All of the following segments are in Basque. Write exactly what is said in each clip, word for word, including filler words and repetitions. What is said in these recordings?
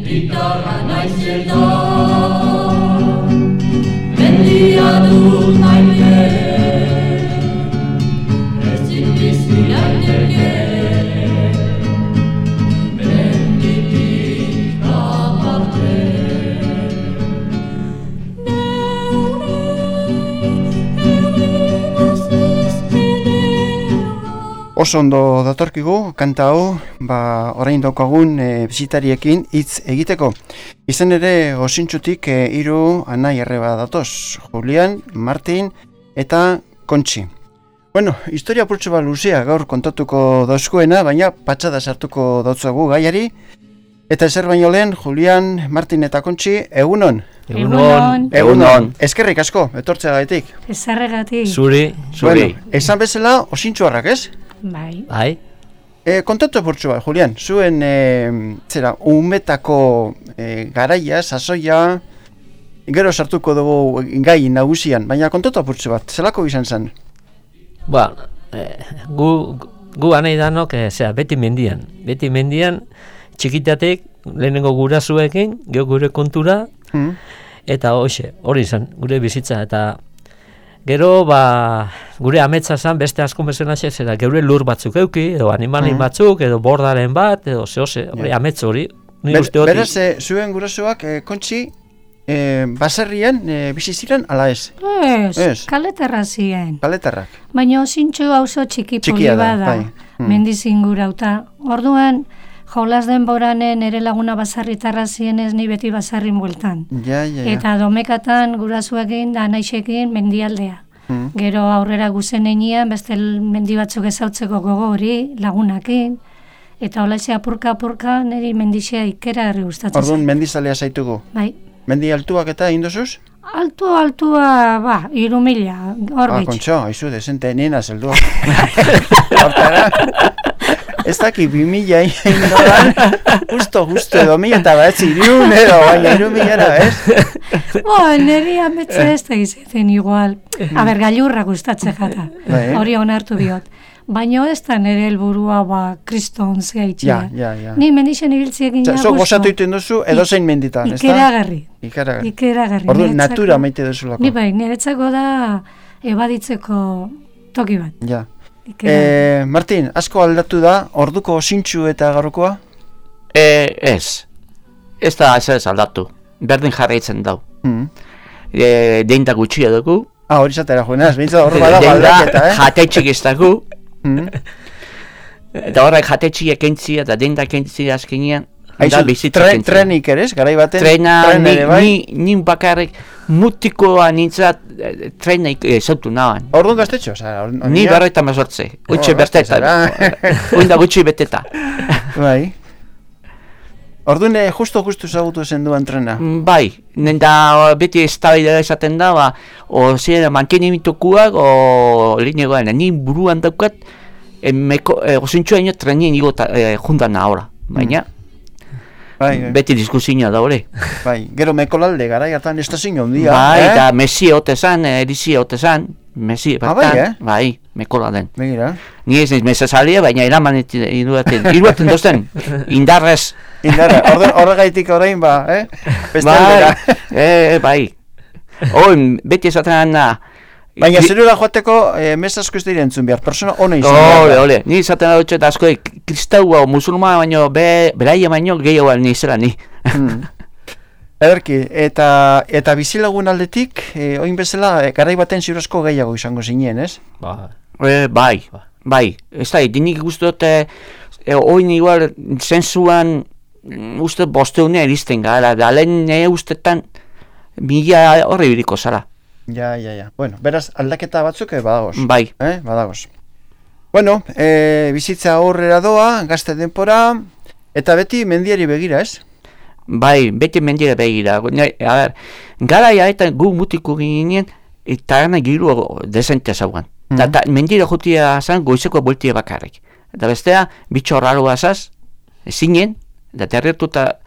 gitarra naizela, mendia dut maite, ezin bizi daiteke, menditik aparte. Oso ondo datorkigu, kanta hau, ba, orain daukagun e, bisitariekin hitz egiteko. Izan ere, osintxutik e, hiru anai arreba datoz, Julian, Martin eta Kontxi. Bueno, historia purtsu bat luzea gaur kontatuko dauzkoena, baina patxada sartuko dautzagu gaiari. Eta ezer baino lehen, Julian, Martin eta Kontxi, egunon? Egunon. Egunon. Eskerrik asko, etortzeagatik. Ezarregatik. Zuri, zuri. Bueno, esan bezala, osintxuarrak, ez? Bai. Bai. E, kontatu purtsu bat, Julian, zuen e, zera, umetako e, garaia, sasoia, gero sartuko dugu gai nagusian, baina kontatu purtsu bat, zelako izan zen? Ba, eh, gu, gu anai danok, eh, zera, beti mendian. Beti mendian, txikitatek, lehenengo gurasoekin, geho gure kontura, Hmm. eta hoxe, hori izan, gure bizitza, eta gero, ba, gure ametsa zen beste asko bezena zera, geure lur batzuk euki, edo animalin Mm. batzuk, edo bordaren bat, edo zehose, hori Ja. amets hori. Ni Ber, uste hori. beraz, e, zuen gurasoak, e, Kontxi, e, baserrian e, bizi ziren, ala ez? Ez, Ez. kaleterra ziren. Kaletarrak. Baina zintxu auzo txiki poli Txikia da, bada, bai. Hmm. mendizingurauta. Orduan, jolas denboranen ere laguna basarritarra zienez ni beti basarrin bueltan. Ja, ja, ja. Eta domekatan gurasoekin da naixekin mendialdea. Hmm. Gero aurrera guzen enean, beste mendi batzuk ezautzeko gogo hori, lagunakin. Eta holaxe apurka-apurka niri mendixea ikera herri gustatzen Orduan, zait. mendizalea zaitugu. Bai. Mendi altuak eta indosuz? Altu, altua, ba, iru mila, hor Ah, bitx. Kontxo, haizu, desente, nena zeldua. Hortara, ez daki bi mila indoran, justo, justo, edo mila eta bat zirun, edo, baina iru milara, ez? Bo, niri ametze ez da izaten igual. A ber, gailurra gustatzen jata. Bai. Hori onartu biot. Baina ez da nire helburua ba, kriston zehaitxea. Ja, ja, ja. Ni mendixen ibiltziekin ja Zo gusto. gozatu iten duzu, edo zein menditan, ez da? Ikeragarri. Ikeragarri. Ikeragarri. Orduan, Niretzako- natura maite duzulako. Ni bai, niretzako da ebaditzeko toki bat. Ja. Ikeragarri. E, Martin, asko aldatu da, orduko osintxu eta gaurkoa? E, ez. Ez da ez ez aldatu. Berdin jarraitzen dau. Hmm. E, deinta gutxia dugu. Ah, hori zatera joenaz, behintzat hor badago Deinta aldaketa, eh? jatetxik ez dugu. Hmm. Eta horrek jatetxia kentzia eta deinta kentzia azkenean. Aizu, da bizitza tre, kentzia. trenik ere, ez, garai baten? Trena, tren ni, ere bai? ni, ni bakarrik mutikoa nintzat eh, trena ezautu nahan. Orduan gaztetxo, oza, or, Ni berroita mazortze. Utxe Oh, berteta. gazte Uinda gutxi beteta. Bai. Orduan, eh, justo, justo zagutu zen duan trena. Mm, Bai, nenda beti eztabaida esaten da, ba, o zera mantenimitukuak o linegoan, ni buruan daukat, e, meko, e, osintxua ino trenien igo e, juntan ahora, baina Bai, bai. beti diskusioa da hori. Bai, gero mekolalde gara hartan estazio handia, Bai, eh? eta Messi ote zan, Erisi ote zan, Messi Ah, bertan, bai, eh? bai, mekola den. Begira. Ni ez niz mesazalia, baina eraman iruaten, iruaten dozten, indarrez. Indarra, orduan horregaitik orain ba, eh? Beste Bai, aldera. eh, bai. Oin, beti esaten da, Baina zerura joateko eh, mesasko ez dira entzun behar, persona ona izan Ole, behar da. ole, ni izaten dut eta asko kristaua o musulma baino, be, beraia baino gehiago ni zela ni. Hmm. Ederki, eta, eta bizilagun aldetik, eh, oin bezala, eh, garai baten ziurezko gehiago izango zinen, ez? Ba, E, bai, bai, ez da, dinik uste dut, e, e, oin igual, zensuan, mm, uste dut bosteunea iristen gara, da lehen e, ustetan, mila horre biriko zara. Ja, ja, ja. Bueno, beraz, aldaketa batzuk eh, badagoz. Bai, Eh, badagoz. Bueno, eh, bizitza aurrera doa, gazte denpora, eta beti mendiari begira, ez? bai, beti mendire begira. Ne, a ber, gara eta gu mutiko ginen, eta gana giru desente zauan. Mhm. Eta mendire jutia zan goizeko bultia bakarrik. Eta bestea, bitxo raroa zaz, zinen, eta derretuta,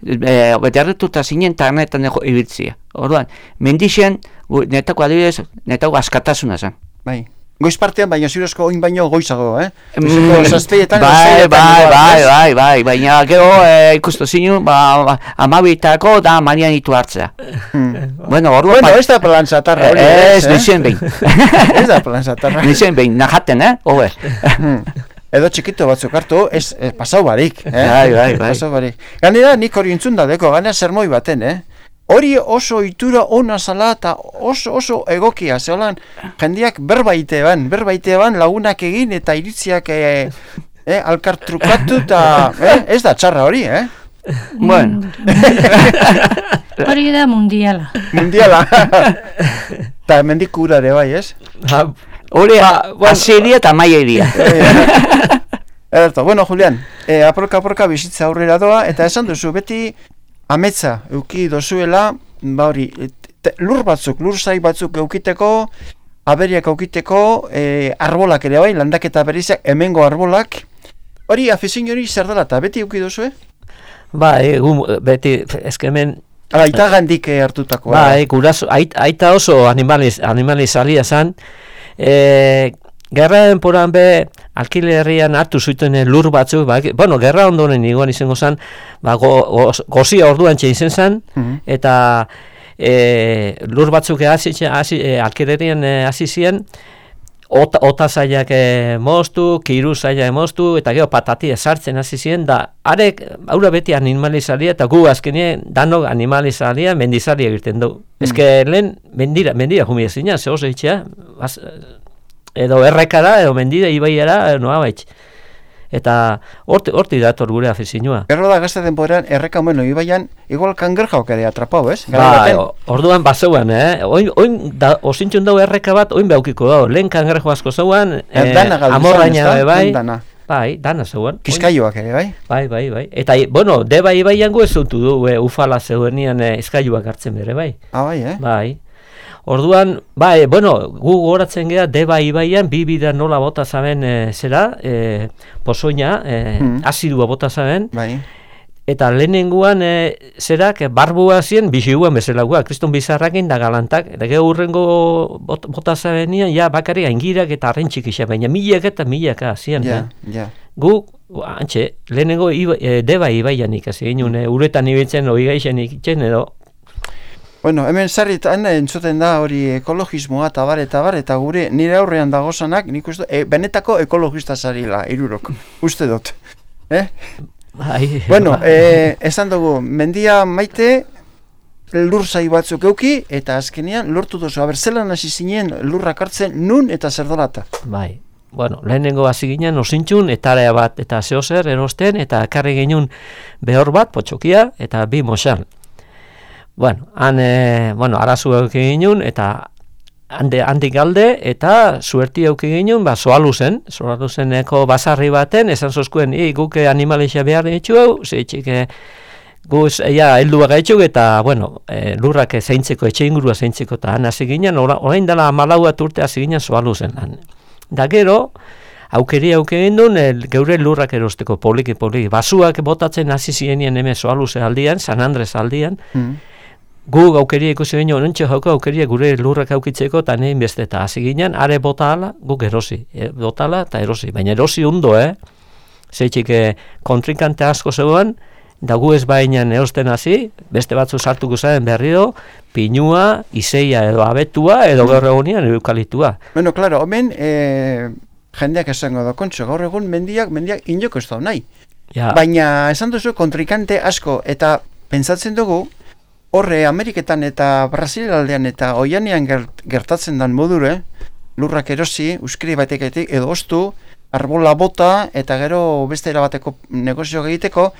e, derretuta zinen eta ganetan ibiltzia. Orduan, mendixen, netako adibidez, netako askatasuna zan. Bai. Goiz partean, baina zurezko oin baino goizago, eh? Mm, Zazpeietan, bai, bai, bai, bai, bai, baina gero eh, ikustu zinu, ba, amabitako da manianitu hartzea. Hmm. Bueno, orduan... Bueno, pa- ez da plan zatarra hori, Ez, eh? nixen behin. Ez da plan zatarra. Nixen behin, najaten, eh? Hobe. Hmm. Edo txikito batzuk hartu, ez, ez pasau barik, eh? Bai, bai, bai. Pasau barik. Ganera, nik hori entzun da deko, ganera sermoi baten, eh? Hori oso itura ona zala eta oso oso egokia, zeholan jendiak berbaite ban, berbaite ban lagunak egin eta iritziak eh, eh, alkar trukatu eta eh, ez da txarra hori, eh? Bueno. Hori da mundiala. Mundiala. Eta hemendik ura ere bai, ez? Ha, Hori, Ba, bueno. asiria eta maieria. Ederto, bueno, Julian, eh, aporka aporka bizitza aurrera doa, eta esan duzu, beti ametsa euki dozuela, ba hori, te, lur batzuk, lur zai batzuk eukiteko, aberiak eukiteko, eh, arbolak ere bai, landaketa berizak, hemengo arbolak, hori afizin hori zer dela, eta beti euki dozu, eh? bai, gu, beti, ezkemen, Ala, ita gandik eh, hartutako. bai, guraso, ait, aita oso animaliz, animalizalia zan, e, gerra denporan be, alkilerrian hartu zuten lur batzuk, ba, bueno, gerra ondoren iguan izango zen, ba, go, go, gozia orduan txein zen, Mhm. eta e, lur batzuk hasi, hasi, e, alkilerrian e, hasi ziren, ota, ota zaiak e, moztu, kiru zaiak moztu, eta gero patatia sartzen hasi ziren, da, arek, aurra beti animalizalia, eta gu azkenien danok animalizalia mendizalia egiten du. Mm. Ezke lehen mendira, mendira jumia zina, ze oso itxea, baz, edo errekara, edo mendira, ibaiara, edo noa baitx. Eta horti, horti dator gure afizinua. Erro da gazte denborean, erreka bueno, ibaian, igual kangerjaok ere atrapau, ez? Garai Ba, baten. o- orduan bazeuan, eh? Oin, oin da, osintxun dau erreka bat, oin behaukiko dau. Lehen kangerjo asko zeuan, Eh, dana galdu amorraina zen, ezta? bai, Dana. bai, dana zeuan. Kizkaioak ere, bai? Bai, bai, bai. Eta, i- bueno, deba ibaian gu ez zutu du, e, ufala zeudenian e, eskailuak hartzen bere, bai. Ah, bai, eh? Bai. Orduan, bai, bueno, gu goratzen gea deba ibaian, bi bida nola bota zaben e, zera, e, pozoina, e, Mm. azidua bota zaben, Bai. eta lehenenguan e, zerak e, barbua zien biziguan bezalagoa, kriston bizarrakin da galantak, eta gero urrengo bot, bota zabenian, ja, bakari aingirak eta arren txikisa, baina milak eta milaka zian. Ja, eh? ja. Gu, antxe, lehenengo iba, e, deba ibaian ikasi ginen, e, uretan ibiltzen, hori gaixen ikitzen, edo, Bueno, hemen sarritan entzuten da hori ekologismoa eta bar eta bar, eta gure nire aurrean dagozanak, nik uste, e, benetako ekologista zarila, irurok, uste dut. Eh? bai, Bueno, bai. eh, esan dugu, mendia maite, lur zai batzuk euki, eta azkenean lortu duzu, aber zelan hasi zinen lurrak hartzen nun eta zer dolata. Bai, bueno, lehenengo hasi ginen osintxun, etarea bat eta zehozer erosten, eta ekarri ginen behor bat, potxokia, eta bi mosal. Bueno, han, e, bueno, arazu euki ginen, eta hande, handik alde, eta suerti euki ginen, ba, soaluzen, soaluzeneko basarri baten, esan zozkuen, i, guke animalixa behar ditu hau, zeitxik, e, guz, ja, helduak gaitzuk, eta, bueno, e, lurrak zeintzeko, etxe ingurua zeintzeko, eta han hasi ginen, ora- orain dela amalaua urte hasi ginen soaluzen han. Da gero, aukeri auke gendun, el, geure lurrak erosteko poliki poliki. Basuak botatzen hasi zienien hemen soaluze aldian, San Andres aldian, Mm. gu aukeria ikusi ginen, ontsa jauko aukeria gure lurrak aukitzeko, eta nein beste, eta hasi ginen, are bota ala, guk erosi. E, bota ala eta erosi, baina erosi ondo, eh? Zeitxik, eh, kontrinkante asko zegoen, da gu ez bainan erosten hasi, beste batzu sartuko zaren berriro, pinua, izeia edo abetua, edo gaur egunean eukalitua. Bueno, claro, hemen eh, jendeak esango da, kontxo, gaur egun mendiak, mendiak inoko ez da nahi. Ja, Baina esan duzu kontrikante asko, eta pentsatzen dugu, horre Ameriketan eta Brasil aldean eta oianean gert, gertatzen dan modure, lurrak erosi, uskiri bateketik edo ostu, arbola bota eta gero beste erabateko negozio egiteko,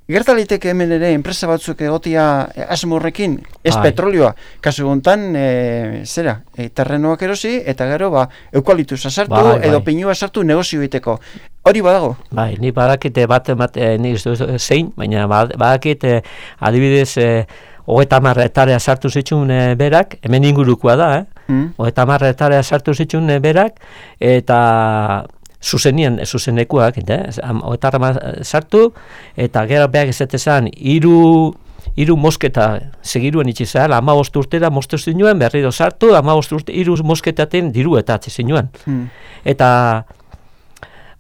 gertaliteke hemen ere enpresa batzuk egotia eh, asmo horrekin, ez Bai. petrolioa, kasu gontan, e, zera, e, terrenoak erosi eta gero ba, eukaliptusa sartu Bai, edo bai. pinua sartu negozio egiteko. Hori badago. bai, ni badakite bat emat, eh, nik ez dut zein, baina bad- badakite adibidez eh, hogeita hamar hektarea sartu zituen eh, berak, hemen ingurukoa da, eh? Mm. Hogeita hamar hektarea sartu zituen eh, berak, eta zuzenian, zuzenekuak, eta, eh? hogeita hamar sartu, eta gero beak ez ezan, hiru hiru mosketa segiruen itxi zara, hamabost urtera moztu zinuen, berriro sartu, hamabost urte, hiru mosketaten diru eta atzi zinuen. Hmm. Eta,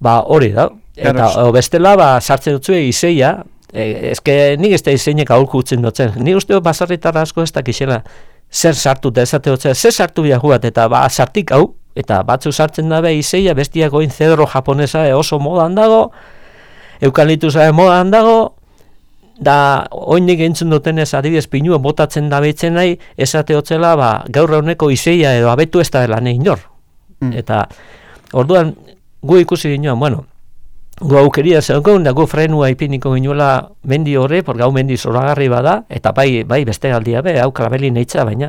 ba, hori da. Eta o, bestela, ba, sartzen dutzue izeia, e, ezke nik ez da izeinek aholku utzen dutzen. Ni uste basarritarra asko ez dakixela zer sartu eta ezate dutzen, zer sartu biaku bat, eta ba, sartik hau, eta batzu sartzen dabe izeia, bestiak oin zedro japonesa e, oso modan dago, eukaliptusa modan dago, da oinik entzun dutenez adibidez pinua botatzen dabetzen nahi, esate hotzela, ba, gaur eguneko izeia edo abetu ez da dela nahi nor. Mm. Eta, orduan, gu ikusi ginoan, bueno, gu aukeria zegoen, da gu frenua ipiniko ginuela mendi horre, por gau mendi zoragarri bada, eta bai, bai beste aldia be, hau kalabeli neitza, baina,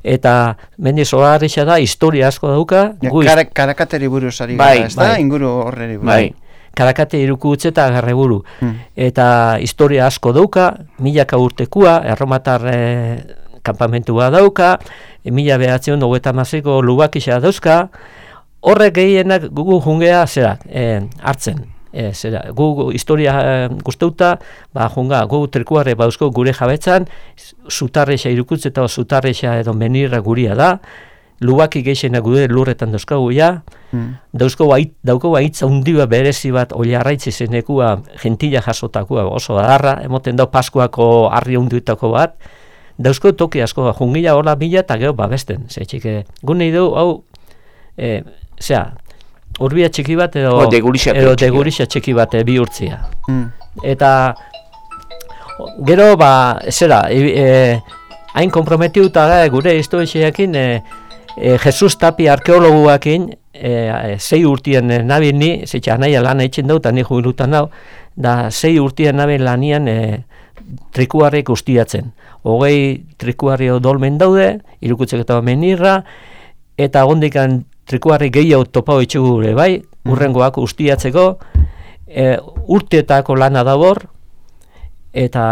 eta mendi zoragarri da, historia asko dauka. Ja, kara, karakateri buruz ari bai, gara, ez da, bai, inguru horreri buruz. Bai, karakate iruku utze eta garreburu. Hmm. Eta historia asko dauka, milaka urtekua, erromatar e, kampamentua dauka, e, mila behatzion hogeita hamazazpiko lubakisa dauzka, horrek gehienak gugu jungea zera, e, hartzen. E, zera, gu historia e, guzteuta, ba, junga, gu trikuarre bauzko gure jabetzan, zutarreixa irukutze eta zutarreixa edo menirra guria da, lubaki geixenak gure lurretan dauzkagu ja, mm. dauzko bait, dauko baitza undiba berezi bat oliarraitzi zenekua gentila jasotakua oso adarra, emoten dau Paskuako harri unduetako bat, dauzko toki asko, jungila hola bila eta gero babesten, ze txike, gune idu, hau, e, zera, urbia txiki bat edo o, degurisa edo degurisa txiki bat e, bihurtzia. Mm. Eta gero, ba, zera, e, e, hain komprometiuta da gure historiaekin, e, e, Jesus Tapi arkeologuakin, e, e, sei urtien e, nabien ni, zeitxa nahi lan eitzen dut, ni jubilutan dau, da sei urtien nabien lanian e, trikuarrik ustiatzen. Hogei trikuarri dolmen daude, irukutzek eta menirra, eta gondikan trikuarri gehiago topau itxugure, bai, urrengoak ustiatzeko, e, urteetako lana dabor, eta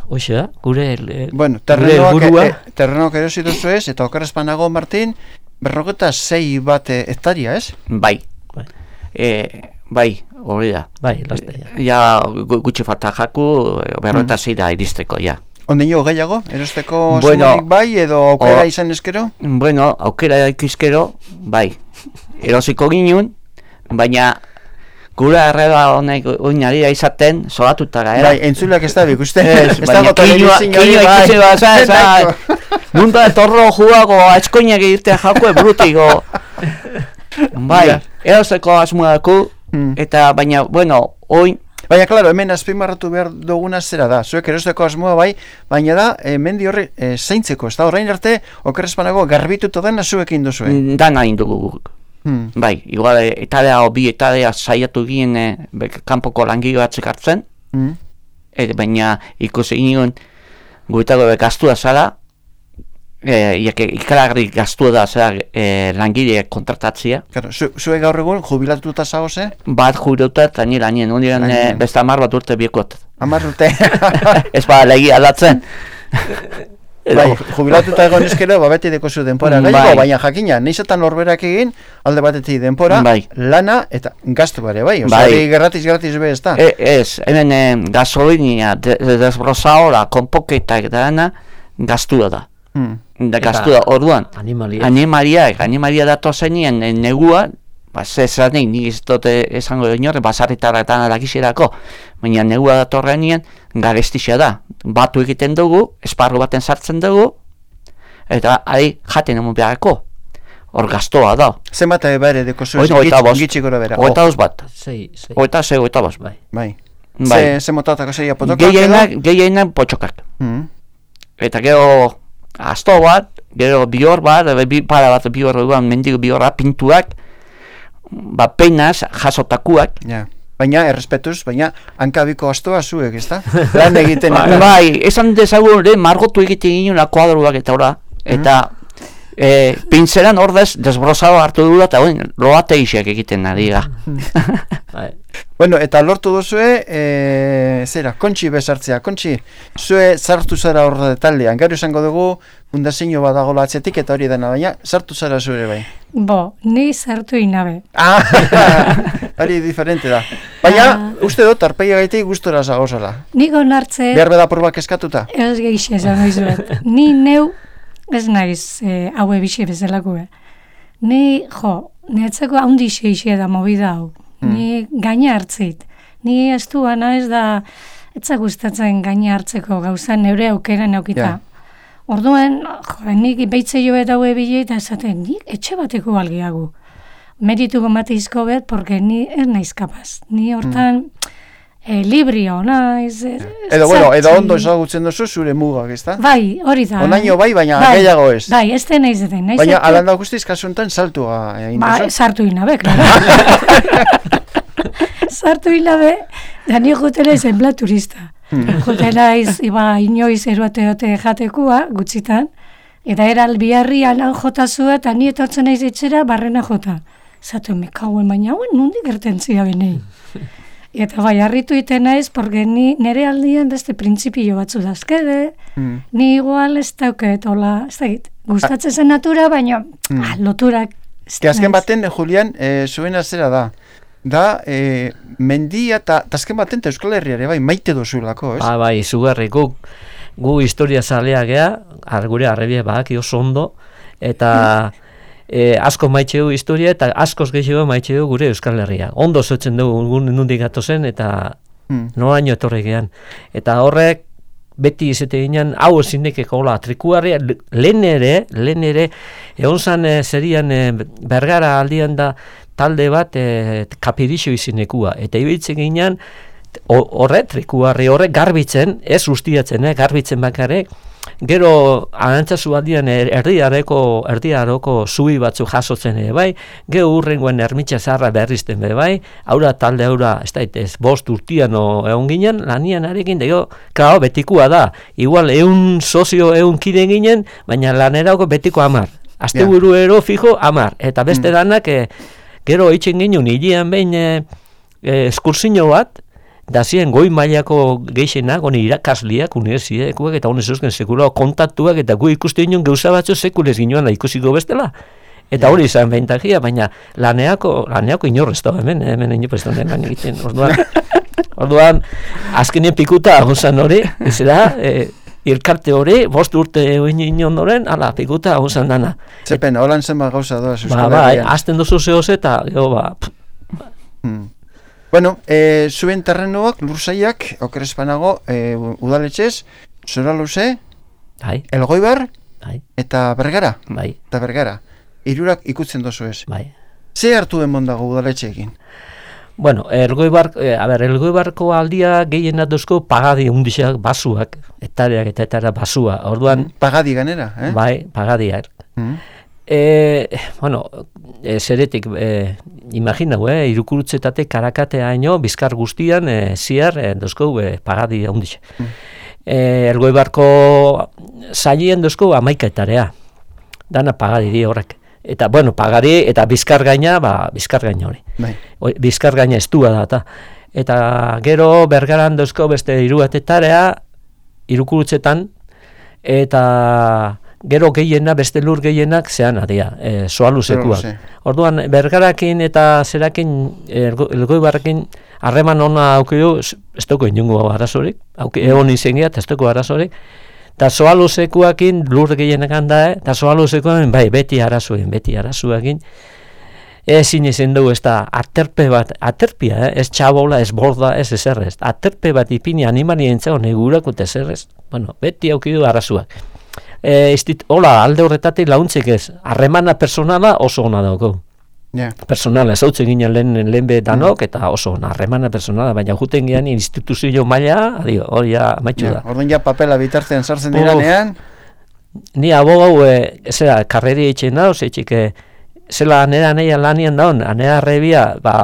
hoxe da, gure, e, bueno, gure burua. E, terrenoak erosi duzu ez, eta okerrezpanago, Martin, berrogeta sei bat hektaria, ez? Bai, bai, e, bai, hori da. Bai, laste, ja. Ja, gutxi falta jaku, berrogeta sei da iristeko, ja. Ondeño gehiago, erosteko bueno, zumenik bai, edo aukera o, izan eskero? Bueno, aukera ikizkero, bai, erosiko ginen, baina gure arreba honek oinari da izaten, solatuta gara. Bai, entzuleak ez da bik, uste? Ez, baina kinua ikusi baza, eza, nunta torro juago, aizkoinak egirtea jako ebrutiko. Bai, erosteko asmuaku, hmm. eta baina, bueno, oin, baina, klaro, hemen azpimarratu behar duguna zera da. Zuek erosteko asmoa bai, baina da, e, mendi horri e, zeintzeko. Ez da, horrein arte, okerrezpanago garbituto dena zuekin duzue. Dana indugu. Hmm. Bai, igual, etadea o bi etadea saiatu ginen e, kanpoko langile batzuk hartzen. Hmm. E, baina, ikusi ginen, guetago gaztua zara, e, ikaragarri gaztua da zara e, langile kontratatzia. Claro, zu, zue gaur egun jubilatuta zagoze? Bat jubilatuta eta nire lanien, ondiren e, beste amar bat urte biekot. Amar urte? Ez ba, legi aldatzen. Bai, jubilatuta egon eskero, ba, beti deko zu denpora. Bai. Gaiko, baina jakina, neizetan norberak egin, alde batetik denpora, bai. Lana eta gaztu bare, bai? Oso, bai. Gerratiz, gerratiz be ez da? E, ez, hemen e, gasolinia, de, de desbrozaora, konpoketak eta dana, gaztua da. Hmm. Da gaztua, orduan. Animalia. Animalia, animalia datu zenien e, negua, ba, zezanik, nik ez dute esango inorre, basarritarretan adakizerako, baina negua datorrenien, garestixea da. Batu egiten dugu, esparru baten sartzen dugu, eta ari jaten emu beharako. Hor gaztoa da. Zenbat ere deko zuen gitxi gora bera? Oita os bat. Sei, sei. Oita sei, oita bos. Bai. Bai. Bai. Ze, ze motatako zeia potokak edo? Gehienak, gehienak potxokak. Mm. Eta gero asto bat, gero bihor bat, bi, para bat bihor duan, mendigo bihorra, pintuak, ba peinaz, jasotakuak. Ja. Baina, errespetuz, baina, hankabiko astoa zuek, ez da? Lan egiten. Bai, esan dezagun, margotu egiten ginen kuadruak eta ora, eta e, pintzeran ordez desbrozado hartu dula, eta oin, loate isiak egiten nadiga. Bueno, eta lortu duzue, e, zera, kontxi bezartzea, kontxi, zue sartu zara horre taldean, gero esango dugu, fundazio badagola atzetik, eta hori dena, baina, sartu zara zure bai? Bo, ni sartu inabe. Ah, hori diferente da. Baina, uste dut, arpeia gaitik gustora zagozala. Nik onartze... Behar beda probak eskatuta? Ez geixe esan noizuet. Ni neu, ez naiz, e, haue bixe bezalako. Ni, jo, niretzako haundi xeixe da movida hau. Ni gaina hartzeit. Ni ez duana ez da, etza gustatzen gaina hartzeko gauza neure aukera neukita. Ja. Orduan, jo, nik beitze jo eta haue bile eta esaten, nik etxe bateko algiagu. Meritu gomatizko bet, porque ni ez naiz kapaz. Ni hortan mm. eh, librio naiz. Eh, edo, bueno, edo ondo ezagutzen duzu zure mugak, ezta? Bai, hori da. Onaino bai, baina bai, gehiago ez. Bai, ez den naiz den. Naiz baina alanda guztiz kasuntan saltua egin duzu? Ba, sartu inabe, klaro. Sartu inabe, da ni jutela zenbla turista. Hmm. Jutela iz, iba, inoiz eroate-ote jatekua, gutxitan, eta era albiarri alan jota zua, eta ni etortzen naiz etxera barrena jota. Zatu, me kauen, baina hauen nundi gertentzia benei. Eta bai, harritu iten naiz, porque ni nire aldian beste printzipio batzu dazkede, mm. ni igual ez dauket, hola, ez dakit, gustatzen zen natura, baina mm. ah, loturak... Azken baten, Julian, e, zuen azera da, da, e, mendia eta azken baten Euskal Herriare, bai, maite dozulako, ez? Ba, bai, zugarri, gu, gu historia zalea gea, argure arrebia badaki oso ondo, eta... E, asko maitxeu historia eta askoz gehiago maitxeu gure Euskal Herria. Ondo zotzen dugu nundik gatozen eta hmm. noraino etorri gehan. Eta horrek beti izate ginen, hau ezinekeko hola, trikuarria, lehen ere, lehen ere, egon zan e, zerian e, Bergara aldian da talde bat e, kapirixo izinekua. Eta ibiltzen ginen, horre, trikuarri horrek garbitzen, ez ustiatzen, eh, garbitzen bakarek, gero arantzazu aldian erdiareko erdiaroko zubi batzu jasotzen ere bai, gero urrengoen ermitxa zaharra berrizten be bai, aura talde aura, ez da, ez bost urtian egon ginen, lanian arekin, dego, klaro, betikoa da, igual eun sozio eun kide ginen, baina lanerako betiko amar, azte buru ero fijo amar, eta beste mm. danak, e, gero itxen ginen, hilian behin e, e, eskursino bat, da ziren goi mailako geixenak, honi irakasliak, unibertsitatekoak eta honez eusken sekulao kontaktuak, eta gu ikuste ginen gauza batzu sekulez ginoan ikusiko bestela. Eta hori izan behintakia, baina laneako, laneako inorrez da hemen, hemen inoprestan den lan egiten. Orduan, orduan azkenien pikuta agonzan hori, ez da, e, irkarte hori, bost urte egin inondoren, ala, pikuta agonzan dana. Zepen, holan zenba gauza doaz Euskal Herrian. Ba, ba, azten duzu zehoz eta, jo, ba... Hmm. Bueno, e, zuen terrenoak, lursaiak, okerezpanago, e, udaletxez, Zoraluze, bai. Elgoibar, bai. eta Bergara. Bai. Eta Bergara. Hirurak ikutzen dozu ez. Bai. Ze hartu emon dago udaletxeekin? Bueno, Elgoibar, e, a ber, Elgoibarko aldia gehien duzko pagadi undixak basuak, etareak eta etara basua. Orduan... Pagadi ganera, eh? Bai, pagadiak. Mm. E, bueno, e, zeretik, e, imaginau, eh, irukurutzetate karakatea haino, bizkar guztian, e, ziar, e, dozko, e, pagadi handixe. Mm. E, Elgoibarko zailien dozko amaika etarea, dana pagadi di horrek. Eta, bueno, pagadi eta bizkar gaina, ba, bizkar gaina hori. Bai. Bizkar gaina estua da, eta. Eta gero Bergaran dozko beste iruatetarea, irukurutzetan, eta... Gero gehiena, beste lur gehienak zean adia, e, Zoaluzekuak. Orduan, Bergarakin eta zerakin, Elgoibarrekin harreman ona aukidu, ez dugu inungo arazorik, egon izen gehiat, ez dugu arazorik, eta Zoaluzekuakin lur gehienak handa, eta Zoaluzekuakin, bai, beti arazoekin, beti arazoekin, ezin izen dugu, ez da, aterpe bat, aterpia, eh? Ez txabola, ez borda, ez ezerrez, aterpe bat ipini animali entzao, negurako eta ezerrez, bueno, beti aukidu arazoak. E, istit, hola, alde horretatik launtzek ez, harremana personala oso ona dauko. Yeah. Personala, ez hau ginen lehen, lehen bedanok, mm. eta oso ona, harremana personala, baina juten gehan instituzio maila, adio, hori ja maitxu da. Orduan ja papela bitartean sartzen diranean? Ni abogau, e, zera, karreri etxen dauz, etxik, e, zela anera anea lanian daun, anera arrebia, ba,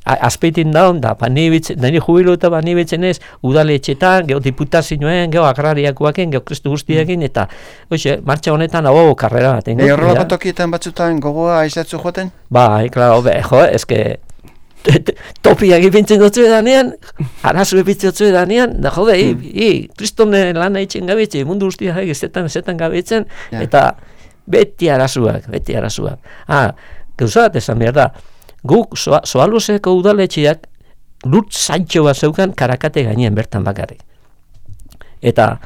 azpeitin daun, da, ba, nire jubilu eta ba, nire ez, udale etxetan, geho diputazioen, geho agrariakoaken, geho kristu guztiekin, eta, oixe, martxa honetan, hau, karrera bat. Ego horrelako tokietan batzutan gogoa aizatzu joaten? Ba, klaro, be, jo, eske, topiak ipintzen dutzu edanean, arazu ipintzen dutzu edanean, da, jode, i, i, kristone lan eitzen gabetzen, mundu guztiak ezetan, ezetan gabetzen, eta beti arazuak, beti arazuak. Ah, gauzat, esan behar da, guk Zoaluzeko udaletxeak lur zaintxo bat zeukan Karakate gainean bertan bakarrik. Eta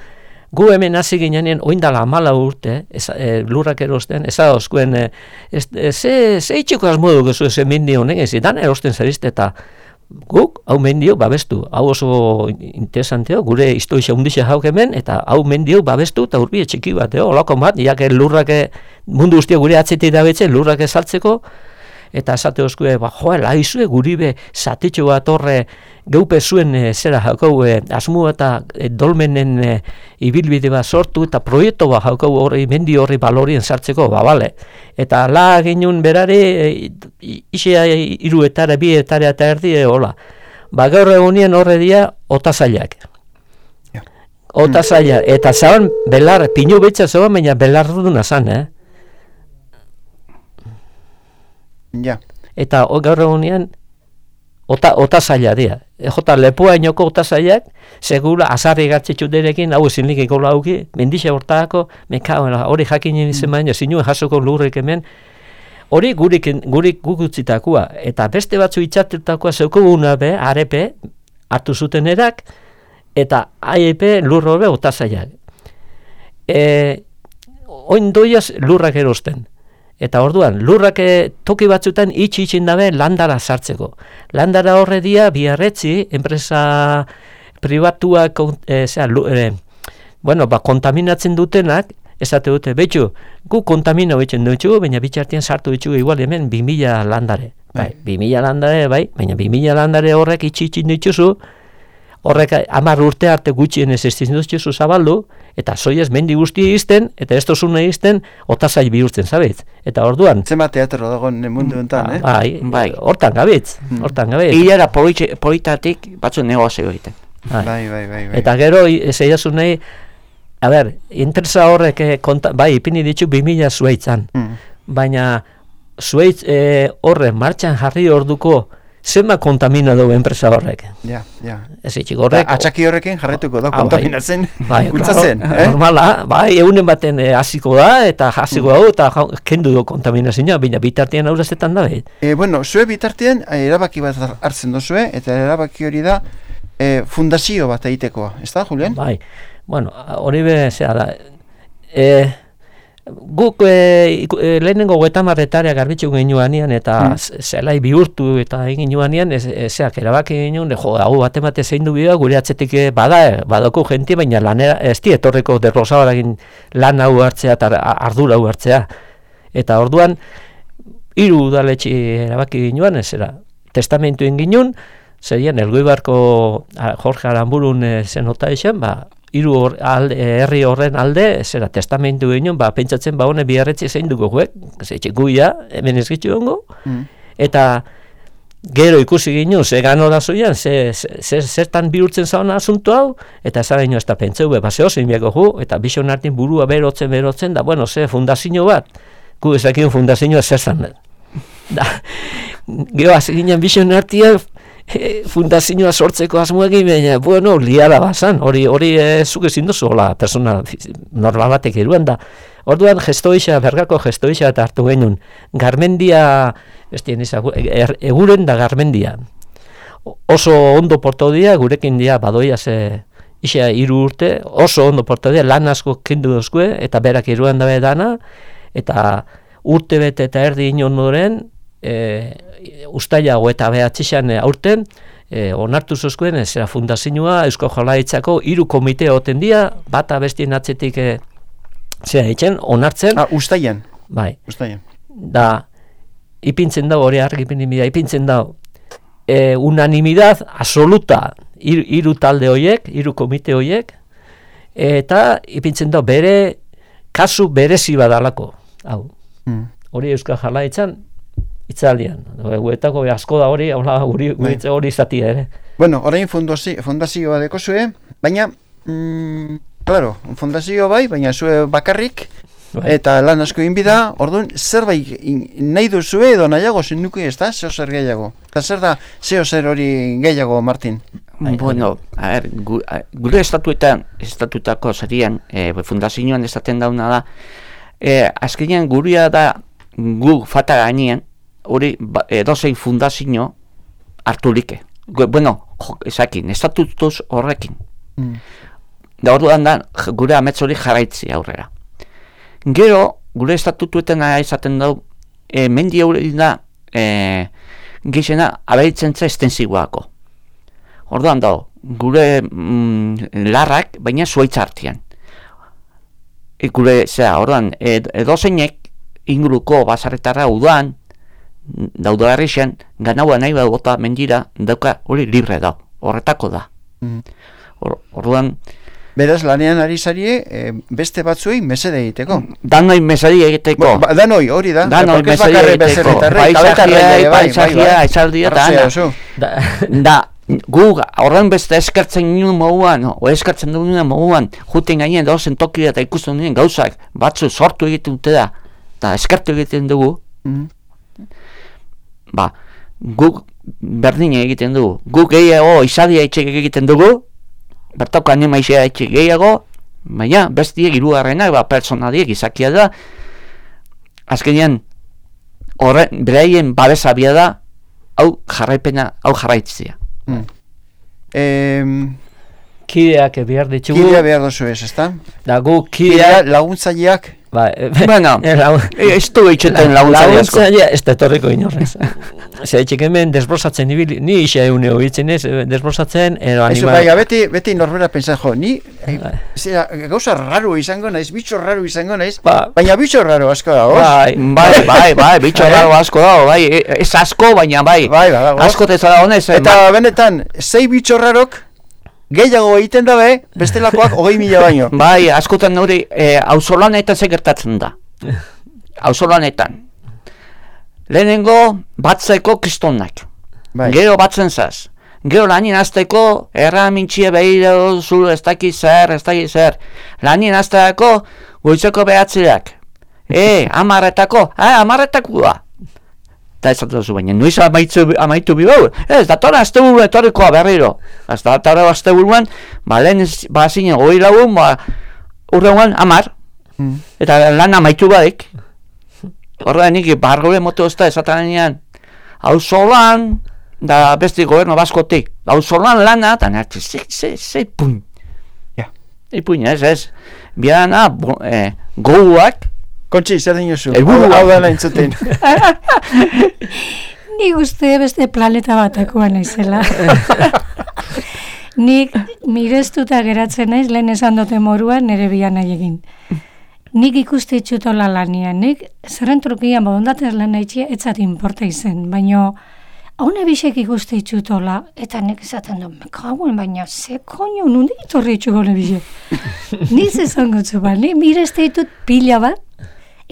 gu hemen hasi ginean oindala amala urte, ez, e, lurrak erosten, ez adozkuen, e, e, ze, ze itxiko asmo dugu zu eze mendi honek, ez dan erosten zerizte, eta guk hau mendio babestu, hau oso interesanteo, gure historia hundixe jauk hemen, eta hau mendio babestu, eta urbie txiki bat, olako bat, iake lurrake, mundu guztia gure atzetik dabetzen, lurrake saltzeko, eta esate oskue, ba, joa, laizue guribe zatitxo bat horre geupe zuen e, zera jaukau e, asmu eta e, dolmenen e, ibilbide bat sortu eta proiektu bat jaukau horri, mendi horri balorien sartzeko, ba, bale. Eta la genuen berare, e, isea iru etare, bi etare eta erdi, e, hola. Ba, gaur egunien horre dia, otazailak. Ja. Otazailak, eta zaban, belar, pinu betxa zaban, baina belar duna zan, eh? Ja. Eta o, gaur egunean ota, ota zaila dira. E, jota lepoa inoko ota zailak, segura azarri gartxetxu derekin, hau ezin likiko lauki, mendixe hortako, mekaoela, hori jakin izan mm. baina, zinuen jasoko lurrik hemen, hori gurik, gurik gugutzitakoa, eta beste batzu itxatutakoa zeukuguna be, arepe, hartu zuten erak, eta aiepe lurro be ota zailak. E, oin doiaz lurrak erosten. Eta orduan, lurrak toki batzutan itxi itxin dabe landara sartzeko. Landara horre dia, biarretzi, enpresa pribatuak, e, zera, e, bueno, ba, kontaminatzen dutenak, esate dute, betxu, gu kontamina hoitzen dutxu, baina bitxartian sartu dutxu igual hemen bi mila landare. Bai, bi mila landare, bai, baina bi mila landare horrek itxi itxin dutxuzu, horrek hamar urte arte gutxien ez ez dutxuzu zabaldu, eta soiez mendi guzti izten, eta ez tozune izten, otazai bihurtzen, zabitz? Eta orduan... Zema teatro dagoen mundu enten, eh? Bai, bai. Hortan gabitz, hortan gabitz. Hilera politatik batzu negozio egiten. Bai, bai, bai, bai. Eta gero, zeiazu nahi, a ber, interesa horrek, konta, bai, ipini ditu bi mila zuaitzan, mm. baina zuaitz e, horre martxan jarri orduko, zenba kontamina dugu enpresa horrek. Ja, ja. Ez itxik horrek... Da, atxaki horrekin jarretuko da, ah, kontaminatzen, bai, gultzatzen. Claro, eh? Normala, bai, egunen baten eh, hasiko da, eta hasiko mm. da, eta kendu du kontaminazioa, baina bitartean aurrezetan da, behit. E, bueno, zue bitartean, erabaki bat hartzen duzue, eta erabaki hori da, e, fundazio bat egitekoa, ez da, Julian? Bai, bueno, hori be, zera da, e, guk e, e, lehenengo goetamarretarea garbitzu genuanian eta mm. zelai bihurtu eta egin nuanian ezeak erabaki genuen, jo, hau bat emate zein du bidea, gure atzetik bada, badoko jentia, baina lanera, ez di etorreko derrosabarakin lan hau hartzea eta ardura hau hartzea. Eta orduan, hiru udaletxe erabaki genuan, ez era, testamentu egin genuen, zerien, Elgoibarko Jorge Aramburun e, zenota esen, ba, hiru hor, alde, herri horren alde, zera testamentu ginen, ba, pentsatzen, ba, hone biarretzi zein dugu guek, zetxe guia, hemen ez gitzu hongo, mm. eta gero ikusi ginen, ze gano da zoian, ze, ze, zertan bihurtzen zauna asunto hau, eta zara ino ez da pentseu, ba, ze osin biako gu, eta bixon hartin burua berotzen, berotzen, da, bueno, ze fundazio bat, gu ezakien fundazioa zer zan, da, gero hasi ginen bixon hartia, E, fundazioa sortzeko asmoekin, baina, bueno, liara bazan, hori, hori e, zuk ezin duzu, hola, persona normal batek eruan da. Orduan, gestoixa, bergako gestoixa eta hartu genuen, Garmendia, ez dien izan, er, eguren da Garmendia. Oso ondo porto dia, gurekin dia, badoia ze, isa hiru urte, oso ondo porto dia, lan asko kendu dozkue, eta berak eruan dabe dana, eta urte bete eta erdi inon noren, e, ustailago eta behatxixan aurten, e, onartu zozkuen, zera fundazioa, Eusko Jaurlaritzako hiru komite oten dia, bata bestien atzetik e, zera ditzen, onartzen. Ah, ustaian. Bai. Ustaian. Da, ipintzen da, hori argi ipinimida, ipintzen da, e, unanimidad absoluta hiru, hiru talde hoiek, hiru komite hoiek, eta ipintzen da, bere, kasu berezi badalako. Hau, mm. hori Eusko Jaurlaritzan, itzaldian, guetako asko da hori, hori hori izatia ere. Bueno, orain fundazio, fundazioa deko zue, baina, mm, claro, fundazio bai, baina zue bakarrik, bai. Eta lan asko inbida, orduan, zerbait nahi duzue edo nahiago zinduki ez da, zeo zer gehiago. Eta zer da, zeo zer hori gehiago, Martin? Ai, bueno, a ver, gu, a, gure estatuetan, estatutako zerien, e, fundazioan esaten dauna da, e, azkenean guria da, gu fata gainean, hori ba, edozein fundazio hartu like. gu- bueno, jo, esakin, estatutuz horrekin. Mm. Da orduan da, j- gure amets hori jarraitzi aurrera. Gero, gure estatutuetan izaten dau, e, mendi hori da, e, gizena, abaitzen za estensiboako. Orduan dago, gure mm, larrak, baina zuaitz artean. E, gure, zera, orduan, ed, edozeinek inguruko basarretara udan, daudo herrixen, ganaua nahi bota mendira, dauka hori libre da, horretako da. Mm. Or, orduan, Beraz, lanean ari zarie, eh, beste batzuei mesede egiteko. danoi mesari egiteko. Bo, ba, danoi, hori da. Danoi Porque ez mesari bakarrik egiteko. bezerotarrei, kabetarrei ere, bai, bai, Paisagia, bai. esaldia, eta Arrazia ana. oso. Da, Da, gu horren beste eskertzen nuen moduan, o eskertzen duen moduan, juten gainen dauzen tokia eta ikusten duen gauzak, batzu sortu egiten dute da, eta eskertu egiten dugu, Mm. ba, guk berdin egiten dugu. Guk gehiago izadia etxek egiten dugu, bertako animaizia etxek gehiago, baina bestiek hirugarrenak, ba, personaliek izakia da, azkenean, horren, beraien babesabia da, hau jarraipena, hau jarraitzia. Mm. Em, kideak behar ditugu, Kidea behar dozu ez, ezta? da gu Kidea kideak, laguntzaileak. ba, Bueno, ez du eitxeten laguntzari asko. laguntzaile ez da etorriko inorrez. Zer, etxek hemen desbrozatzen ibili, ni isa eune hobitzen ez, eh, desbrozatzen, ero Eso, anima... bai, beti, beti norbera pentsa, jo, ni eh, Bai. zera, gauza raro izango naiz, bitxo raro izango naiz, Ba- baina bitxo raro asko da, os? Bai, Bai, bai, bai, bitxo Bai. raro asko dago, bai, e- ez asko, baina bai, Bai, badago. asko teza da honez, Eta benetan, sei bitxo rarok gehiago egiten dabe, bestelakoak hogei mila baino. bai, askotan hori, e, auzolanetan ze gertatzen da. Auzolanetan. Lehenengo, batzeko kristonak. Bai. Gero batzen zaz. Gero lanien azteko, erramintxie behiro zu, ez daki zer, ez daki zer. Lanien azteako, goitzeko behatziak. E, amarretako, ah, amarretakoa. Eta ez dut baina, nuiz amaitu, amaitu bibau. Ez, datora azte buru etorrikoa berriro. Ez datora azte buruan, ba, lehen ez- ba, zine, goi lagun, ba, urrengoan, amar. Mm. Eta lan amaitu badik. Horrean nik, bargore moto ez da, esatanean, auzolan, da besti goberno baskotik, auzolan lana, eta nahi, ze, ze, ze, puin. Ja. Ipuin, ez, ez. Biana, bo, eh, goguak, Kontxi, zer dinozu? Helburua. Hau hau da entzuten. Ni uste beste planeta batakoa naizela. Nik mirestuta geratzen naiz, lehen esan dute moruan nire bian nahi egin. Nik ikuste itxutola lanian, nik zerrentrukian bodondatez lan nahi etzat inporta izen, baina haune bisek ikuste itxutola, eta nik esaten du, mekauen, baina ze koño, nundi itorri itxuko ne bisek. Niz esan gotzu ba, ni mireste ditut pila bat,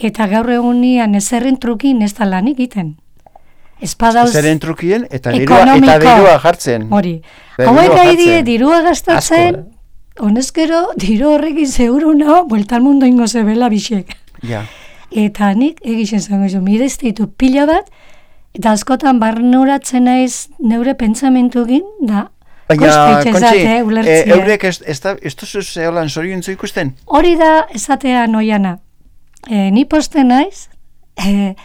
eta gaur egunian ezerren trukin ez da lan egiten. Espadauz... Zeren trukien eta dirua, Ekonomiko. eta dirua jartzen. Hori. Dirua Hauek gai die jartzen. dirua gastatzen, honezkero, diru horrekin seguru nao, bueltan mundu ingo zebela bisek. Ja. Eta nik egiten zango zo, mirezte ditu pila bat, eta askotan barnuratzen naiz neure pentsamentukin, da, Baina, koste Kontxi, itxezate, eh, ulertzea. eurek ez, ez, da, ez duzu zeholan zoriontzu ikusten? Hori da esatea noiana. E, ni poste naiz, e,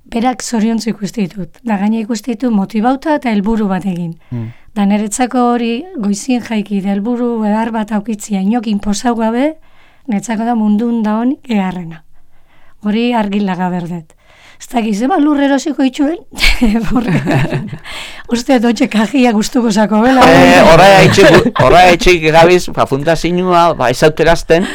berak zoriontzu ikusti ditut. Da gaina ikusti ditut motibauta eta helburu bat egin. Mm. Da niretzako hori goizien jaiki da helburu edar bat aukitzia inokin posau gabe, niretzako da mundun da honik eharrena. Hori argilaga berdet. Ez da gizema lurrerosiko itxuen, uste dotxe kajia gustuko zako bela. eh, horra etxik, horra etxik gabiz, ba, fundazioa, ba, ezauterazten,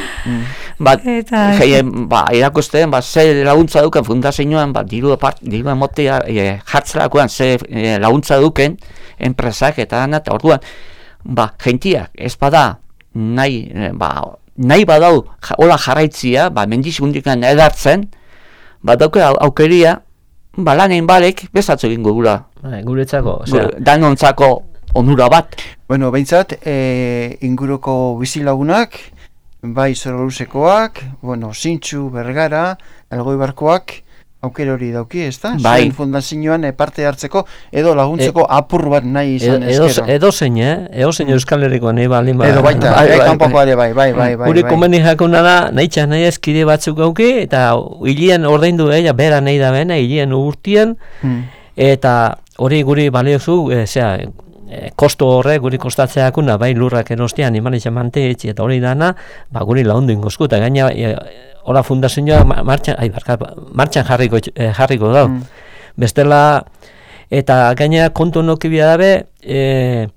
ba, Eta- jeien, ba, irakusten, ba, ze laguntza duken fundazioan, ba, diru apart, diru emotea, e, jartzerakoan, ze e, laguntza duken, enpresak eta dana, eta orduan, ba, jentiak, ez bada, nahi, e, ba, nahi badau, ja, hola jarraitzia, ba, mendizigundikan edartzen, ba, dauke au- aukeria, ba, lanein balek, bezatzu egingo gula, Bai, guretzako, osea, danontzako onura bat. Bueno, behintzat, e, inguruko bizilagunak, bai Zoroluzekoak, bueno, Zintxu, Bergara, Elgoibarkoak, aukera hori dauki, ez da? Bai. Zuen fundazioan e, parte hartzeko, edo laguntzeko apur bat nahi izan edo, ezkero. edo zein, eh? Edo zein Euskal Herriko nahi balin ba. Edo baita, Bai, eh, bai, kanpokoa ere bai, bai, bai, bai. Gure bai. komeni jakuna da, nahi txas nahi ezkide batzuk gauki, eta hilien ordaindu ella, bera nahi da bena, hilien urtien, Hmm. eta hori guri baliozu, e, zera, e, kosto horrek guri kostatzeakuna, bai lurrak erostean, iman izan manteetxe eta hori dana, ba, guri laundu ingozku, eta gaina, e, hola fundazioa martxan, ai, barka, martxan jarriko, e, jarriko dau. Mm. Bestela, eta gaina kontu nokibia dabe, e,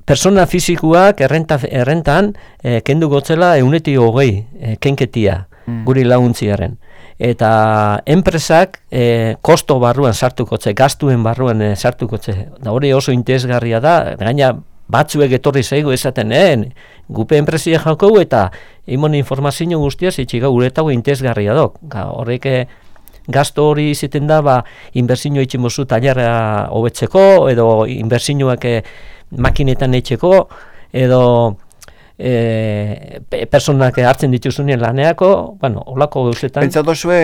persona fizikuak errenta, errentan e, kendu gotzela euneti hogei e, kenketia mm. guri laguntziaren. Eta enpresak e, kosto barruan sartukotze, gastuen barruan e, sartukotze. Da hori oso interesgarria da, gaina batzuek etorri zaigu esaten, eh, gupe enpresia jaukau eta imon informazio guztiaz itxiga uretago interesgarria dok. Horrek gasto hori iziten da, ba, inbertsioa itximozu tailerra hobetzeko, edo inbertsioak e, makinetan etxeko, edo e, personak hartzen dituzunien laneako, bueno, holako gauzetan. Pentsa dozue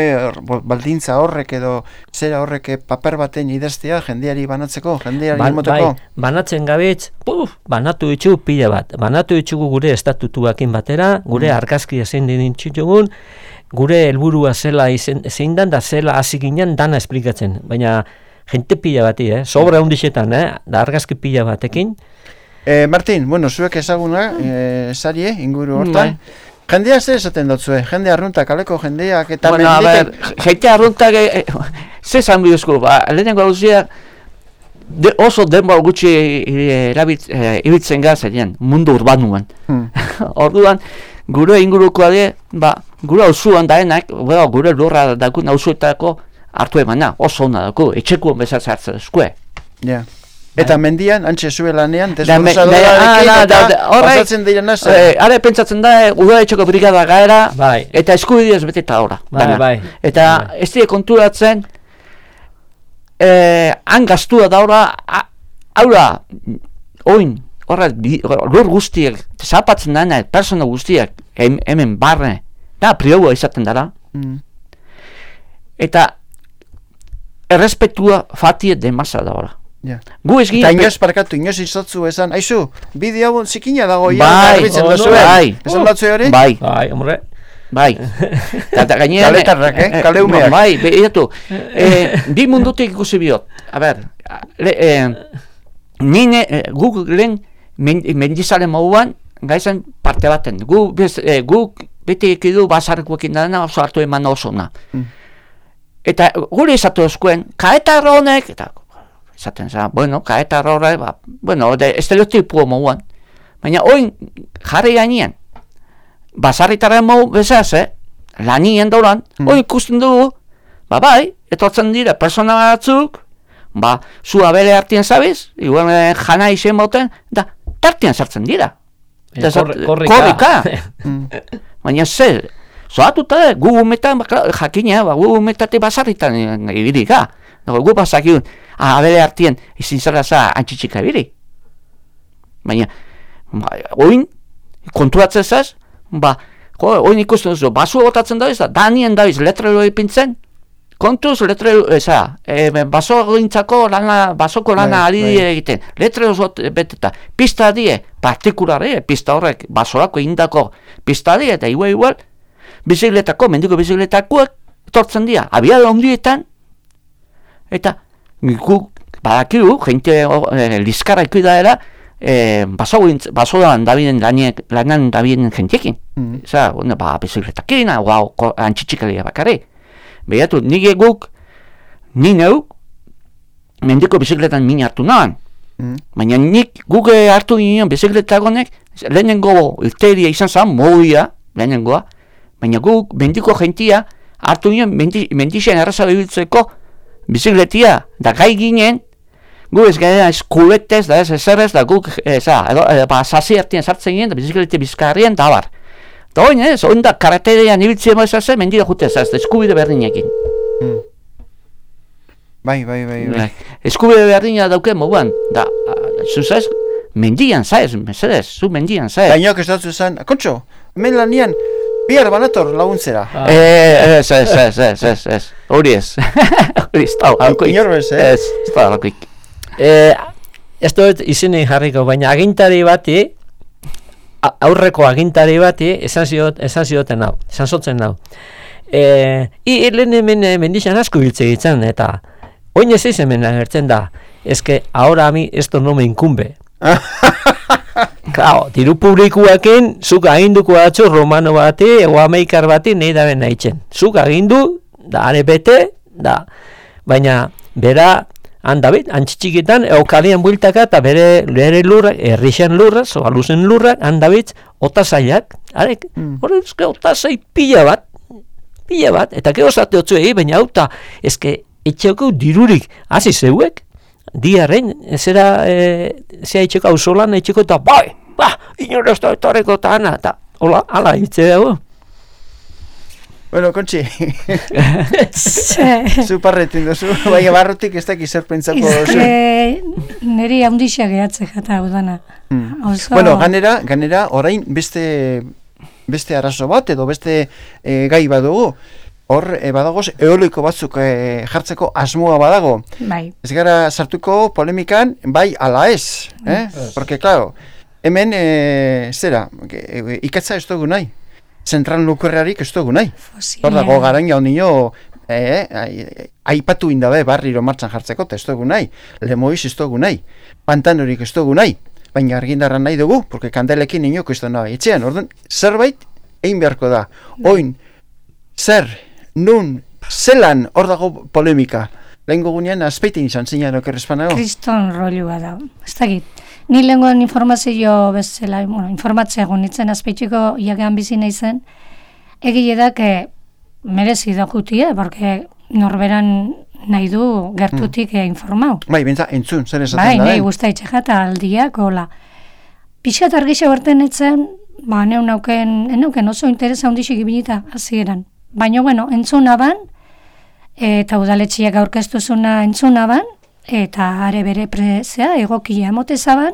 baldintza horrek edo zera horrek paper baten idaztea jendeari banatzeko, jendeari ba, emoteko? Bai, banatzen gabitz, puf, banatu ditu pila bat. Banatu ditugu gure estatutuakin batera, gure mm. argazki zein ditzugun, gure helburua zela izen, zein dan da zela hasi ginen dana esplikatzen, baina jente pila bati, eh? Sobra hundixetan, eh? Da argazki pila batekin. Eh, Martin, bueno, zuek ezaguna, eh, sarie, inguru hortan. Mm. Jendea zer esaten dotzue? Jende arruntak, kaleko jendeak eta bueno, menditek... a ver, jente arruntak, eh, ze zan biduzko, ba, lehenengo gauzia, de, oso denbora gutxi erabit, eh, ibiltzen gazerien, mundu urbanuan. Hmm. Orduan, gure ingurukoa de, ba, gure auzuan daenak, well, gure lurra dakun auzuetako hartu emana, oso ona daku, etxekuan bezatzen hartzen eskue. Ja. Yeah. Eta mendian, antxe zue lanean, desbruzadora eta pasatzen dira nasa. Eh, Hara pentsatzen da, udara etxeko brigada gaera, bai. Eta eskubideaz bete eta ora. Bai, bai. Eta bai. Ez dira konturatzen, eh, han gastua daura, aura, oin, horra, lur guztiak, zapatzen dana, persona guztiak, hem, hemen barne, da, priogoa izaten dara. Mm. Eta, errespetua fatie demasa daura. Yeah. Gu ez eta inoz parkatu, inoz izotzu esan, aizu, bideo hau zikina dago ia, bai, oh, no, bai, esan batzu hori? Bai, bai, hombre, bai, eta gainean, kaletarrak, eh, kaleumeak, bai, behiratu, eh, bi mundutik ikusi biot, a ber, le, eh, nine, eh, gu lehen mendizaren mauan, gaizan parte baten, gu, bez, eh, gu bete ekidu basarkuekin dana oso hartu eman oso na. Mm. Eta gure izatu eskuen, kaetarra honek, eta esaten za, bueno, kaetarra horre, ba, bueno, de estereotipo mauan. Baina oin jarri gainean, basarritaren mau bezaz, eh? Lanien dauran, mm. oin ikusten dugu, ba bai, etortzen dira persona batzuk, ba, zu abele hartien zabiz, igual jana izen bauten, da, tartien sartzen dira. E, korri, korrika. Baina zer, zoatuta, gu umetan, jakina, ba, gu umetate basarritan ibirika. Gu basakiun, abele hartien, izin zara za antxitxika ibiri. Baina, ba, oin, konturatzen zaz, ba, jo, oin ikusten duzu, basu botatzen dabiz, da, danien dabiz, letrero ipintzen, kontuz, letrero, eza, e, baso gintzako lana, basoko lana ari dire egiten, letrero zot beteta, pista die, partikulare, pista horrek, basorako indako pista die, eta igual, igual, bizikletako, mendiko bizikletakoak, tortzen dira, abiada ondietan, eta guk badakigu, jente e, lizkarra ikuidaela, e, basoan dabiden lanan dabiden jentekin. Mm. Eza, ba, bizikletakin, hau antxitxikalia bakarri. Behatu, nire guk, ni neuk, mendiko bizikletan min hartu nahan. Mm. Baina nik guk hartu ginen bizikletagonek, lehenengo irteria izan zan, moia, lehenengoa, baina guk mendiko jentia hartu ginen mendi, mendixen erraza bebiltzeko bizikletia, da gai ginen, gu ez gara eskuletez, da ez ezerrez, da guk, eza, edo, edo, ba, sasi hartien sartzen ginen, da biziklete bizkarrien, da bar. Da oin, ez, oin da karaterean ibiltzea moizase, mendira jutez, ez, eskubide berdinekin. Hmm. Bai, bai, bai, bai. Eskubide berdina dauke moguan, da, zuzaz, mendian zaez, mesedez, zu mendian zaez. Gainok ez datzu zan, kontxo, hemen lanian, bihar banator laguntzera. Ah. Eh, ez, ez, ez, ez, ez, ez, hori ez. Hori ez da, halkoik. Inorbez, eh? Ez, ez da, halkoik. Eh, ez dut izinen jarriko, baina agintari bati, aurreko agintari bati, esan ziot, esan zioten hau, esan zotzen hau. Eh, I lehen hemen mendixan asko biltze ditzen, eta oin ez hemen agertzen da. es que ahora a mí esto no me incumbe. Claro, diru publikoekin zuk aginduko atzu romano bati, ego ameikar bati nahi da ben nahitzen. Zuk agindu, da are bete, da. Baina, bera, handabit, antxitxikitan, eukalian builtaka, eta bere, bere lurrak, errixen lurrak, zogaluzen lurrak, handabit, otazaiak, arek, mm. hori, eske, otazai pila bat, pila bat, eta gero zate otzu egi, baina auta, eske, etxeko dirurik, hasi zeuek, diarren, zera, e, zera etxeko auzolan, etxeko eta, bai, ba, inorazto etorreko eta ana, eta, hola, ala, hitze dago. Bueno, Kontxi, zu parretin duzu, bai, barrutik ez dakiz zer pentsako zu. Neri haundixia gehatze jata udana. Mm. Oso... Bueno, ganera, ganera, orain beste, beste arazo bat, edo beste e, gai badugu. Hor, e, badagoz, eoliko batzuk e, jartzeko asmoa badago. Bai. Ez gara sartuko polemikan, bai ala ez. Eh? Yes. Porque, claro, hemen, e, zera, e, ikatza ez dugu nahi. Zentral nuklearik ez dugu nahi. Hor dago garaina honio, eh, aipatu indabe barriro martxan jartzeko, ez dugu nahi. Lemoiz ez dugu nahi. Pantanorik ez dugu nahi. Baina argindarra nahi dugu, porque kandelekin inoko ez da nahi. Etxean, orduan, zerbait egin beharko da. Oin, zer, nun, zelan hor dago polemika. Lehenko gunean, azpeitin izan zinean okerrezpanago. Kriston rolua da. Ez dakit. Ni lehenkoan informazio bezala, bueno, informatzea gunitzen azpeitxiko iagean bizi nahi zen, egile da, que merezi da jutia, porque norberan nahi du gertutik mm. informau. Bai, bentsa, entzun, zer esaten bai, da. Bai, nahi guzta itxekata aldiak, hola. Pixat argixa berten etzen, ba, neun nauken, neuken oso interesa ondixik ibinita, hasieran. Baina, bueno, entzuna ban, eta udaletxiak aurkeztu zuna entzuna ban, eta are bere prezea egokia emotezaban,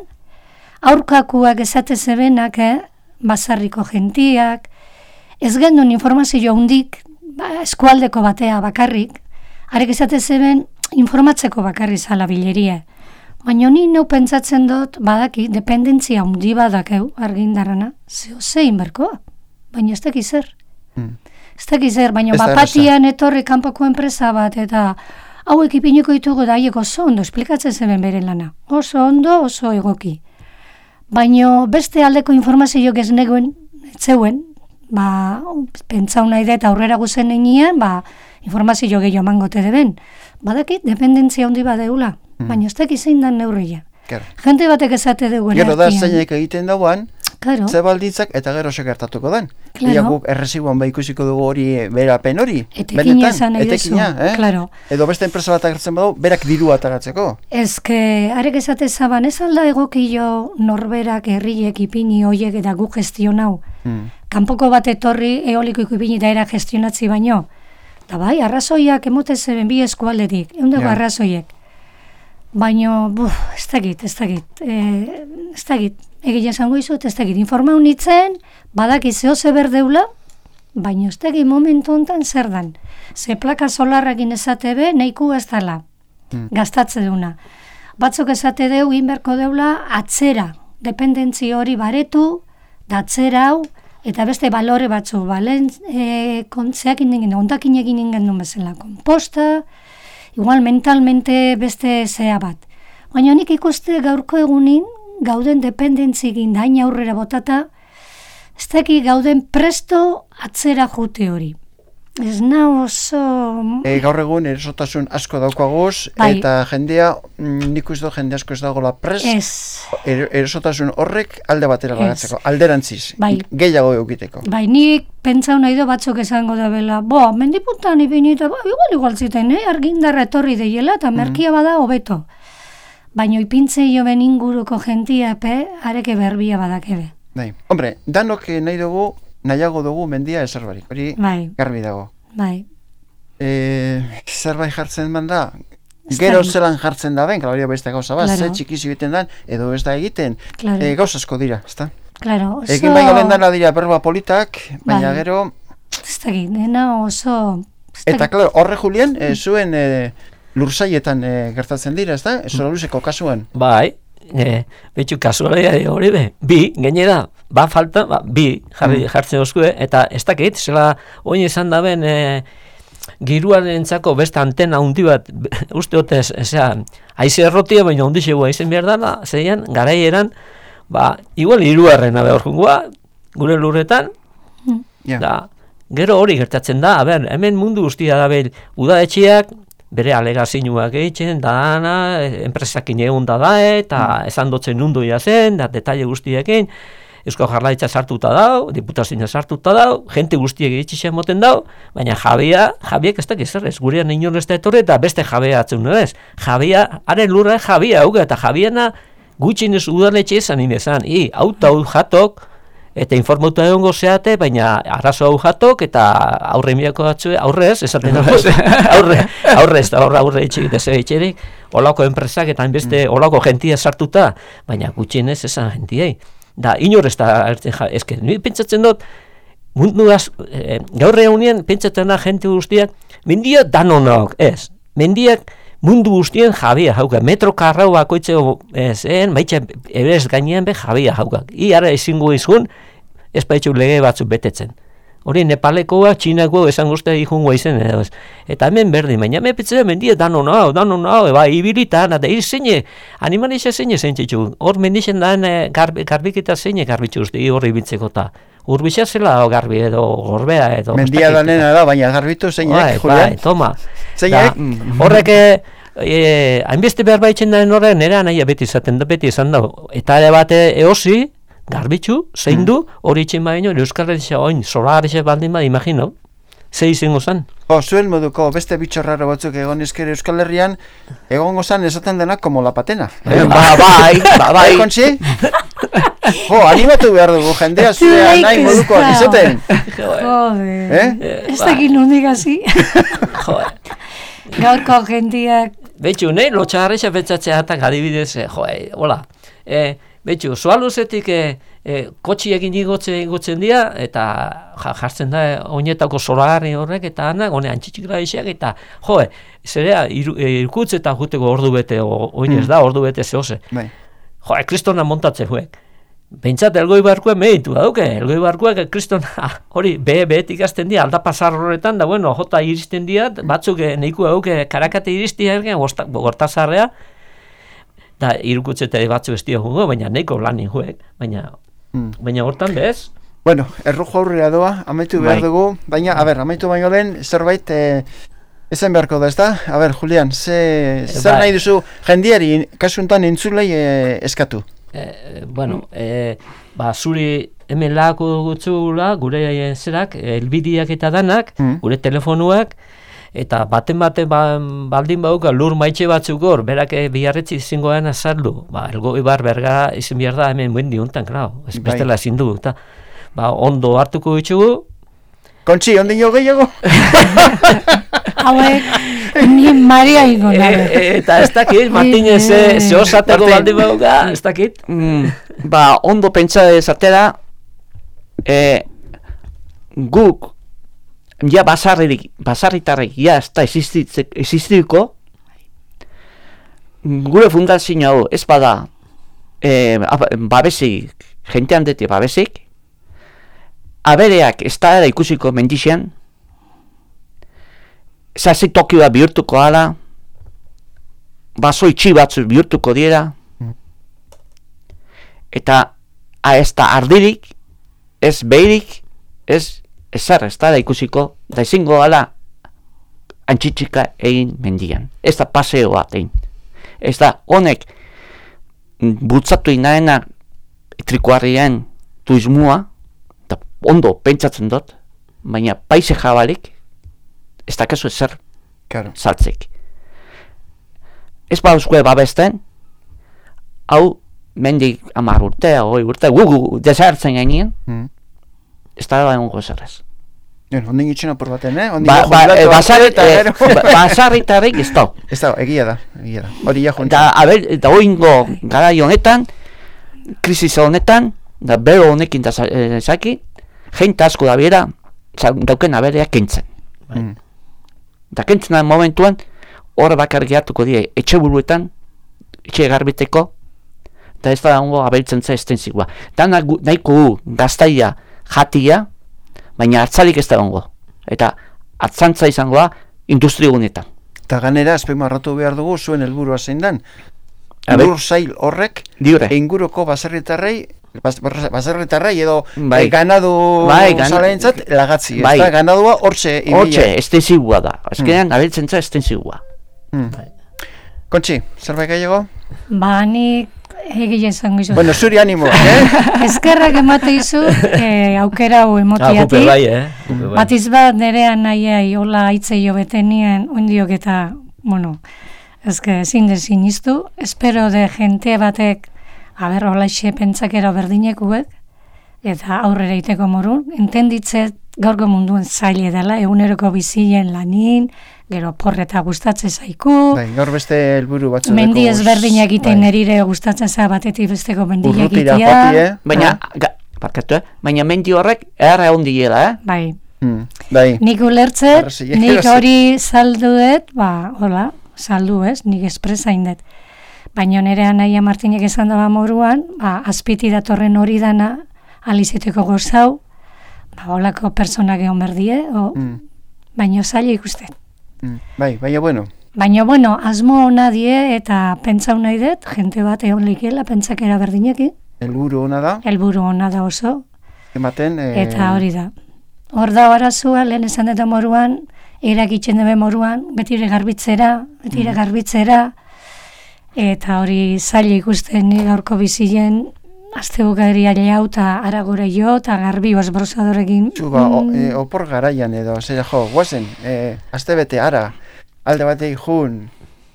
aurkakuak esate zebenak, eh, basarriko gentiak, ez gendun informazio hundik, ba, eskualdeko batea bakarrik, arek esate zeben informatzeko bakarri zala bileria. Baina ni neu pentsatzen dut, badaki, dependentzia hundi badakeu argindarrana, zeo zein berkoa, baina ez dakiz zer. Hmm. Ez dakiz zer, baina bapatian etorri kanpoko enpresa bat, eta hauek ipiniko ditugu da haiek oso ondo esplikatzen zeben bere lana. Oso ondo, oso egoki. Baina beste aldeko informazioak ez neguen, etzeuen, ba, pentsau nahi da eta aurrera guzen eginean, ba, informazio gehiago emangote deben. Badakit, dependentzia handi badeula, mm. baina ez dakit zein dan neurria. Claro. Jente batek esate dugu. Gero da zeinek egiten dauan, claro. Ze baldintzak eta gero segertatuko den. Claro. Ia guk errezibuan ba ikusiko dugu hori berapen hori. Etekina esan nahi duzu. Eh? Claro. Edo beste enpresa bat agertzen badu, berak diru ataratzeko. Ez que, arek esate zaban, ez alda egokio norberak herriek ipini hoiek eta guk gestionau. Hmm. Kanpoko bat etorri eoliko ipini da era gestionatzi baino. Da bai, arrazoiak emote zeben bi eskualdetik, egun dago ja. Arrazoiek. Baina, buf, ez dakit, ez dakit, e, ez dakit, egile esango izut, ez dakit, informau nitzen, badaki zeo ze berdeula, baina ez dakit momentu honetan zer dan. Ze plaka solarrakin esate be, neiku ez dala, hmm. gastatze deuna. Batzuk esate deu, inberko deula, atzera, dependentzi hori baretu, da atzera hau, eta beste balore batzu, balen, e, kontzeak indingen, ondakin egin ingen duen bezala, komposta, igual mentalmente beste zea bat. Baina nik ikuste gaurko egunin, gauden dependentzikin dain aurrera botata, ez daki gauden presto atzera jute hori. Ez na oso... E, gaur egun erosotasun asko daukaguz, bai. Eta jendea, nik uste jende asko ez dagoela prest, er, erosotasun horrek alde batera lagatzeko, alderantziz, bai. Gehiago egiteko. Bai, nik pentsau nahi do batzuk esango da bela, bo, mendipuntan ibinita, ba, igual igual ziten, eh? Argindarra etorri deiela, eta merkia mm. bada hobeto. Baina ipintzei jo ben inguruko jentia, pe, areke berbia badakebe. Bai, hombre, danok nahi dugu, nahiago dugu mendia ezerbarik, hori bai. Garbi dago. Bai. E, zerbait jartzen man da, gero zelan jartzen da ben, hori beste gauza bat, claro. Ze txikiz egiten dan, edo ez da egiten, claro. e, gauza asko dira, ezta? Claro, oso... Egin baino lehen dana dira berba politak, baina bai. Gero... Ez da egin, dena oso... Eta, klaro, horre Julien, e, zuen e, lursaietan e, gertatzen dira, ezta? Zora luzeko kasuan. Bai. E, betxu kasualia hori be, bi, gainera, ba falta, ba, bi jarri, mm. jartzen oskue, eta ez dakit, zela oin esan da ben, e, giruarentzako beste antena handi bat, uste dut ez, ezea, haize errotia, baina handi xegu haizen behar dala, zeian, garaieran, ba, igual hiruarrena behar jungoa, gure lurretan, Ja. da, gero hori gertatzen da, a ber, hemen mundu guztia da behar, udaetxeak, bere alegazioak egiten, dana, enpresakin egun da da, eta esan dotzen nundu zen, da, detaile guztiekin, Eusko Jaurlaritza sartuta dau, diputazioa sartuta dau, jente guztiek egitxixen moten dau, baina jabia, jabiek ez dakiz zer ez, gurean inon ez da etorri eta beste jabea atzen ez. Jabia, haren lurra jabia hauga, eta jabiena gutxinez udaletxe esan inezan, i, auto hau jatok, eta informatu egongo zeate, baina arazo hau jatok, eta aurre miako batzue, aurrez, esaten dago, aurre, aurrez, aurre, aurre etxik, dese etxerik, olako enpresak eta beste olako jentia sartuta, baina gutxinez esan jentiei. Da, inor ez da, ezke, ni pentsatzen dut, mundu az, e, gaur egunien pentsatzen da jente guztiak, mendiak danonok, ez, mendiak mundu guztien jabia hauka, metro karrau bakoitzeko zen, baitxa eberez gainean be jabia hauka. I ara ezingo izun, ez baitxu lege batzuk betetzen. Hori Nepalekoa, Txinakoa esan guztia ikungo izen, edo ez. Eta hemen berdin, baina hemen petzea mendia danon hau, danon hau, eba, ibilitan, eta hir zeine, animalizia zeine zentzitu. Hor mendixen daen garbi, garbiketa zeine garbitzu uste, hor ibiltzeko eta. Urbisa zela garbi edo gorbea edo. Mendia danena da, baina garbitu zeinek, Julian. Bai, toma. Zeinek? Horrek, eh, hainbeste behar baitzen daen horren, nera nahi beti izaten da, beti izan da. Eta ere bate eosi, garbitzu, zein du, hori itxin baino, Euskal Herria oin, solarexe baldin bat, imagino, ze izango zen. Jo, zuen moduko beste bitxorraro batzuk egon izker Euskal Herrian, egongo zan esaten denak como la patena. Eh, ba, bai, ba, bai. Kontzi? Jo, animatu behar dugu, jendea zurea nahi moduko izaten. Joder, Eh? ez dakit nondik hasi. Joder. Gaurko jendiak, Betxu, nahi lotxagarrixa betzatzea eta adibidez, eh, jo, eh, hola, eh, betxu, soaluzetik eh, eh, kotxiekin igotzen, igotzen dira, eta ja, jartzen da eh, oinetako solagarri horrek, eta anak, hone antxitxikra isiak, eta jo, eh, zerea, iru, eh, irkutz eta juteko ordu bete, o, oinez da, ordu bete zehose. Bai. Jo, eh, kristona montatze huek. Bentsat, elgoi barkuek mehitu da, duke, elgoi barkuek kristona, hori, be, behetik azten dira, aldapazar horretan, da, bueno, jota iristen dira, batzuk eh, nahiko duke, karakate iristia ergen, gortazarrea, da, irukutzete batzu ez jungo, baina nahiko lanin huek, baina, Mm. baina hortan bez, Bueno, errujo aurrera doa, amaitu behar Bai. dugu, baina, a ber, amaitu baino lehen, zerbait, eh, ezen beharko da, ez da? A ber, Julian, ze, zer bai. nahi duzu jendiari, kasuntan entzulei eh, eskatu? eh, bueno, eh, ba, zuri hemen lako gutzula, gure eh, zerak, elbidiak eta danak, Mm. gure telefonuak, eta baten baten ba, baldin bauka lur maitxe batzuk hor, berak eh, biharretzi zingoan azaldu, ba, elgo ibar berga izin behar da hemen buen diuntan, klar, ez Bai. bestela ezin du, eta ba, ondo hartuko ditugu, Kontzi, ondino gehiago? hauek, ni Maria ingo e, nabe. e, eta ez dakit, Martinez ze ze osateko Martin. baldin bauka, ez dakit, Mm, ba, ondo pentsa esatera, eh, guk, ja basarrik, basarritarrik, ja ez da existituko, gure fundazio hau, ez bada, eh, babesik, jentean deti babesik, abereak ez da era ikusiko mendixean, zazi Tokioa bihurtuko ala, baso itxi batzu bihurtuko dira, eta a, ez da ardirik, ez behirik, ez ezer ez da ikusiko, da izango ala antxitxika egin mendian. Ez da paseoa egin. Ez da honek bultzatu inaena trikuarrien tuizmua, eta ondo pentsatzen dut, baina paise jabalik, ez da kasu ezer Claro. saltzek. Ez bauzue babesten, hau mendik amar urte, hoi urte, gugu desertzen gainean, Mm. ez da da egongo zerrez. Bien, ondin itxena por baten, eh? Ondin Ba, jo ba, jubilatu eh, arte basarri- eta eh, gero. ba- basarritarrik ez da. Ez da, egia da, egia da. Hori ja Da, junta. a ber, eta oingo garai honetan, krisis honetan, da bero honekin da eh, zaki, jente asko da bera, dauken aberea kentzen. Mm. Da kentzen da momentuan, hor bakar gehatuko die, etxe buruetan, etxe garbiteko, eta ez da hongo abeltzen za estenzikoa. Da nagu- nahiko gu gaztaia jatia, baina hartzalik ez da hongo. Eta atzantza izango da industrigunetan. Eta ganera, azpimarratu behar dugu, zuen helburua zein dan. A ber. Lur zail horrek, Diure. inguruko baserritarrei, bas- bas- baserritarrei edo Bai. eh, ganadu Bai, gan- zalaentzat lagatzi. Bai. Eta ganadua hortxe Hortxe, estensibua da. Azkenean, abiltzen za estensibua. Hmm. Kontxi, zerbait gehiago? Ba, nik egile izango izu. Bueno, zuri animo, eh? Eskerrak emate izu, eh, aukera hau Ah, gupe emotiatik. bai, eh? Gupe bai. Batiz bat nerean nahiai hola aitzei jo betenien ondiok eta, bueno, ezke ezin dezin iztu. Espero de gente batek, a ber, hola xe pentsakera berdinekuek, eta aurrera iteko morun, entenditzet gaurko munduen zaile dela, eguneroko bizien lanin, gero porreta gustatzen zaiku, Bai, gaur beste helburu batzu. mendi dekoguz. ezberdina egiten Bai. nerire gustatzen za batetik besteko mendia Urrutira egitea. joati, eh? Baina, ga, parkatu, eh? Baina mendi horrek erra egon diela, eh? Bai, Hmm. Bai. nik ulertzet, Arrazoiak nik erosi. hori salduet, ba, hola, saldu ez, nik espresain dut. Baina nire Naia Martinek esan daba moruan, ba, azpiti datorren hori dana, alizeteko gozau, ba, holako personak egon berdie, o, Hmm. baino zaila ikusten. Hmm. Bai, baina bueno. Baina, bueno, asmo hona die eta pentsau nahi dut, jente bat egon leikela, pentsakera berdinekin, Helburu ona da, helburu hona da oso, ematen... Eh, eta hori da. Hor da arazua, lehen esan dut moruan, erakitzen dube moruan, betire garbitzera, betire garbitzera, eta hori zaila ikusten ni gaurko bizien, azte bukaderi aileu eta aragore jo, eta garbi osbrosadorekin. Zu, ba, o, mm, e, opor garaian edo, zera jo, guazen, e, azte bete ara, alde bateik jun,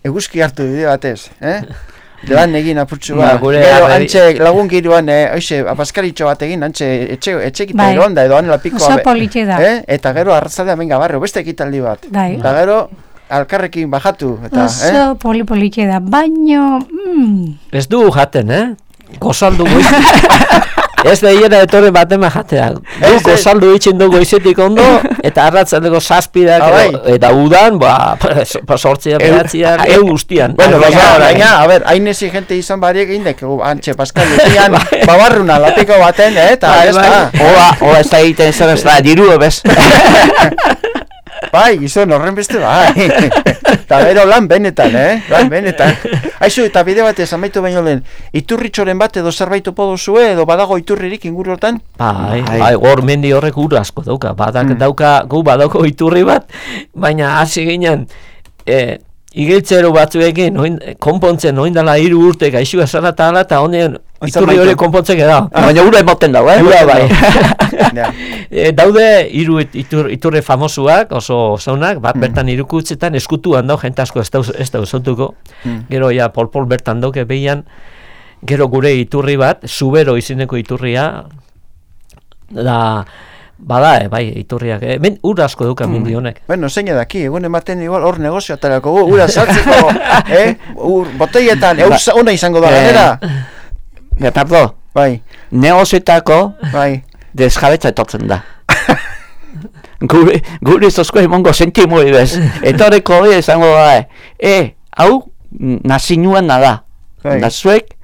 eguzki hartu bide batez, eh? Lan egin apurtxu Ba, ba, gure gero arreri- antxe lagun giruan, eh, oixe, apaskaritxo bat egin, antxe etxe, etxekita Bai. egon da, edo anela pikoa, Oso be- politxe da. eh? Eta gero arratzaldea menga barrio, beste ekitaldi bat. Bai. Eta gero, alkarrekin bajatu, eta, Oso eh? poli-politxe da, baino, mm, Ez du jaten, eh? Gozaldu goiz. Ez da hiera etorri batema jatea. Du Ez, ez. gozaldu itxin du goizetik ondo, eta arratzaldeko zazpidak, Ah, bai. edo- eta udan, ba, sortzia, behatziak, Eu- egun guztian. Bueno, Baina, baina, baina, baina, a ber, hain ezi gente izan bariek egin dek, antxe, Pascal, ekian, babarruna, lapiko baten, eh, eta, Bai, ez bai. da. Ola, ola ez da egiten zer ez da, diru ebez. Bai, gizon, horren beste bai. Eta bero lan benetan, eh? Lan benetan. Aizu, eta bide batez, amaitu baino lehen, iturritxoren bat edo zerbait topo duzue, edo badago iturririk inguruotan? Bai, Bai. bai, gor mendi horrek ur asko dauka. Badak Mm. dauka, gu badauko iturri bat, baina hasi ginen, e, igiltzero batzuekin, oin, konpontzen, oin dela hiru urte gaixua zara eta ala, eta honen iturri amaitu. hori konpontzen da. Baina ura emoten dago, eh? Ura bai. Ja. E, daude hiru it- itur, iturri famosuak, oso zaunak, bat bertan irukutzetan eskutuan dau, jente asko ez da, ez da usautuko. Mm. Gero ja pol-pol bertan dauke behian, gero gure iturri bat, Zubero izeneko iturria, da, bada, eh, bai, iturriak, eh, men, ur asko duka mendi honek. Bueno, zein edaki, egun ematen igual hor negozio atarako gu, ura saltzeko, eh? Ur, boteietan, eus ona izango da, Eh. ganera? Betardo, Bai, negozietako bai. desjabetza etortzen da. Gure, gure zozko emongo sentimoi bez. Etoreko hori esango da, e, hau nazinuan da. Bai. Da zuek,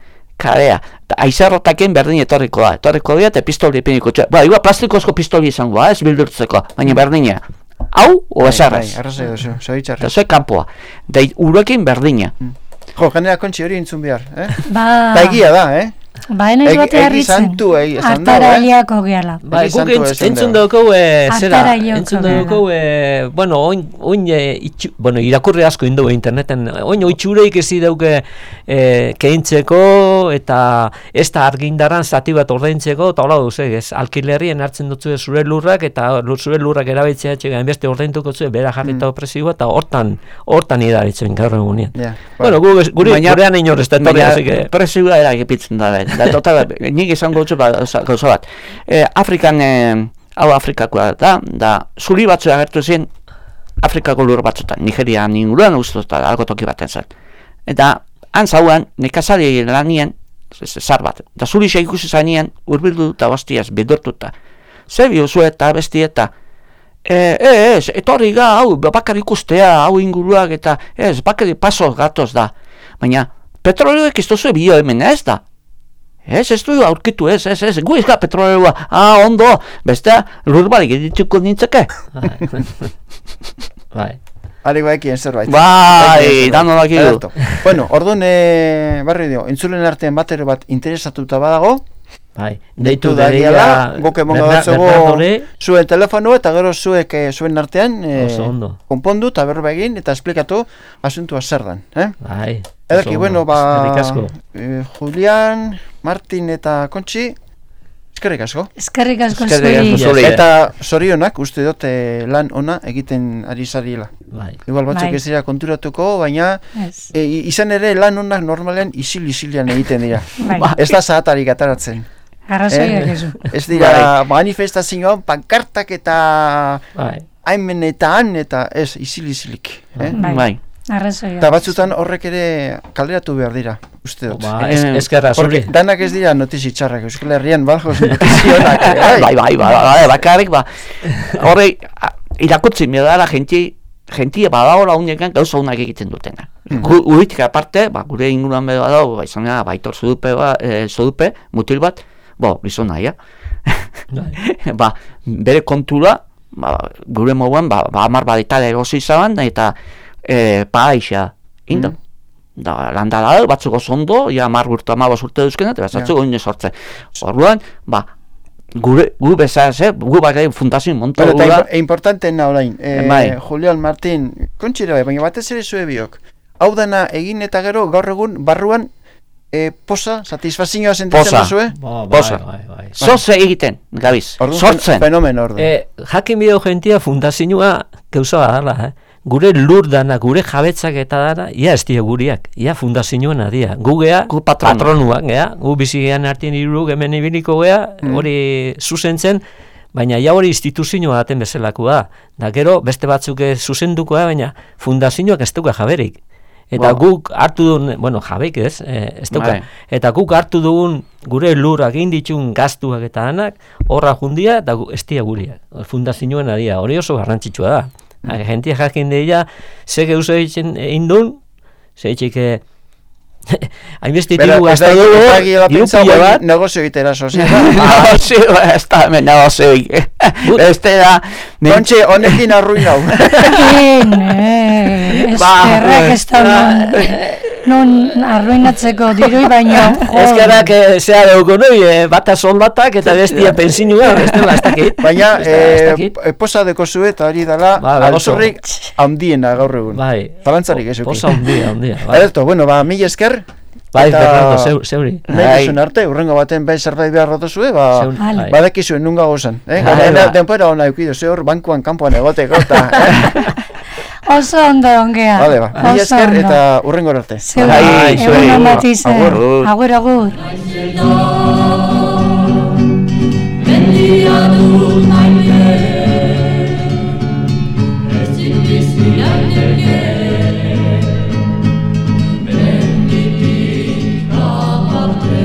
karea. Ta aizarrotaken berdin etorriko da. Etorriko dira eta pistoli epiniko txea. Ba, igua plastikozko pistoli izango da, ez bildurtzeko. Baina berdina. Hau, o Bai, esarrez. bai, arrazoi duzu, Eta zoritxarrez. zuek kanpoa. Da urekin berdina. Jo, ganera kontxi hori entzun behar, eh? ba, Eta egia da, eh? ba, enaiz Egi- bate egi harritzen, santu, egi esan dago, eh? hartarailiako gehala. Bai, Egi guk santu entz, esan entzun dugu. dugu, e, zera, Hartara joko entzun gara. dugu, e, bueno, oin, oin e, itxu, bueno, irakurri asko indu interneten, oin oitxureik ezi dauke e, keintzeko, eta ez da argindaran zati bat ordaintzeko, eta hola duz, ez, alkilerrien hartzen dutzu zure lurrak, eta lur- zure lurrak erabiltzea txega, enbeste ordaintuko zuen, bera jarrita mm. presioa, eta hortan, hortan idaritzen gaur egunean. Ja, Bueno, gu, guri, Baina- gurean inor ez da etorri, Baina así que... presioa eragipitzen da, ben. Da, total, nik izango dutzu ba, oza- gauza bat. E, Afrikan, e, hau Afrikakoa da, da, zuri batzu agertu zen Afrikako lur batzutan, Nigerian inguruan ustuta, algo toki baten zen. Eta, han zauan, nekazari lanien, z- zar bat, da zuri xe ikusi zainien, urbildu eta bastiaz, bidurtuta. Zer biozu eta besti eta, E, ez, etorri ga, hau, bakar ikustea, hau inguruak eta, ez, bakari paso gatoz da. Baina, petrolioek ez duzu bio hemen ez da. Ez, ez du aurkitu, ez, ez, ez, gu izka petrolioa, ah, ondo, bestea, lur barik edituko nintzake. Bai. Ari baikien zerbait. Bai, dano daki du. Bueno, orduan, e, barri dio, entzulen artean batero bat interesatuta badago, bai, deitu da diala, guk emongo datzugu zuen telefonu, eta gero zuek e, zuen artean e, konpondu eta berba egin, eta esplikatu asuntua zer dan. Eh? Bai. Edaki, bueno, ba, e, Julian, Martin eta Kontxi, eskerrik asko. Eskerrik asko zuri. Eta zorionak, uste dut e, lan ona egiten ari zariela. Bai. Igual batzuk bai. Ez dira konturatuko, baina yes. e, izan ere lan onak normalean isil-isilian egiten dira. Bai. Ez da zahatarik ataratzen. Arrazoiak eh? ezu. Ez dira bai. Manifestazioan, pankartak eta bai. haimen eta han, eta ez, isil-isilik. Eh? Bai. Bai. Arrazoiak. Eta batzutan horrek ere kaleratu behar dira, uste dut. Ba, ez, ezkerra zuri. Danak ez dira notizi txarrak, Euskal Herrian badjoz notizionak. Bai, bai, bai, bai, bakarrik, ba. Horre, irakutzi, medala genti, gentia badaola unekan gauza unak egiten dutena. Mm. Uritik aparte, ba, gure inguruan bedo badao, ba, izan gara, baitor zodupe, ba, e, zodupe, mutil bat, bo, bizona, ja. Ba, bere kontura, ba, gure moguan, ba, ba amar baditale erosi izaban, eta e, paaixa, indo. Mm. Da, landala da, batzuk oso ja amar urte, amabos urte duzkena, eta batzuk yeah. oine sortze. Orduan, ba, gure, gu bezaz, eh? gu bakai fundazioen monta bueno, gura. Eta importantena orain, eh, bai. Julian, Martin, kontxira bai, baina batez ere zue biok. Hau dana egin eta gero gaur egun barruan e, posa, satisfazioa sentitzen duzue? Ba, bai, posa. Bai, bai. Zoze egiten, gabiz, sortzen. Fenomeno ordu. E, jakin bideo gentia fundazioa gauza dala, eh? Gure lur dana, gure jabetzak eta dana, ia ez dira guriak, ia fundazioan adia. Gu gea, gu patronu. patronuak, gea, gu bizigean artien iruruk hemen ibiliko gea, mm. hori zuzentzen, baina ja hori instituzioa daten bezalakoa. Da gero, beste batzuk zuzendukoa, baina fundazioak ez duka jaberik. Eta wow. guk hartu dugun, bueno, jabeik ez, eh, ez duka. Eta guk hartu dugun gure lurrak egin ditun gaztuak eta danak, horra jundia, eta gu, ez dira guriak. Fundazioan adia, hori oso garrantzitsua da. Mm. Gentia jakin deia, ze geuzo egin duen, ze etxik, hainbeste tibu gazta dugu, diru pila bat. Negozio egitera sozial. Negozio, ez da, hemen negozio egitera. Ez da, Kontxe, honekin arruinau. Egin, eskerrak ez da non arruinatzeko dirui baino. Eskerrak zea dugu noi, bata soldatak eta bestia pensinua, bestela ez dakit. Baina, posa deko zue eta hori dala, alzorrik handiena gaur egun. Bai, Zalantzarik ezuki. posa handia, handia. Alto, bueno, ba, mila esker. Bai, Fernando, zeuri. Nahi duzun arte, urrengo baten bai zerbait behar rotozue, ba, badakizuen nunga gozan. Denpora hona eukidu, ze hor bankuan kanpoan egoteko eta... Oso ondo ongea. Vale, ba. Mila esker eta urrengo arte. Zeuri, egun ondatize. Agur, agur. Mendia dut maite, ezin bizi daiteke, menditik aparte.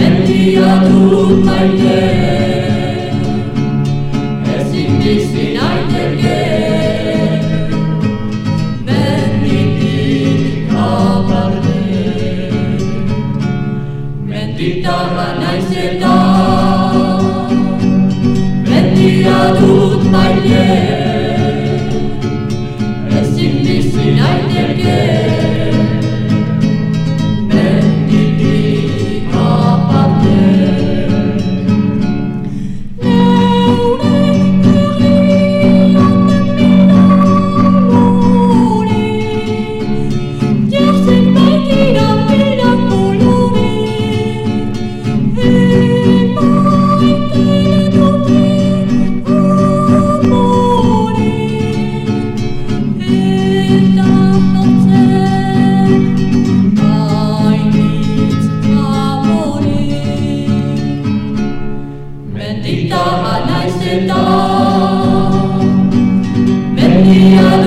Mendia dut maite, ezin bizi naiteke, menditik aparte. Menditarra naiz eta, mendia dut maite, ezin bizi naiteke.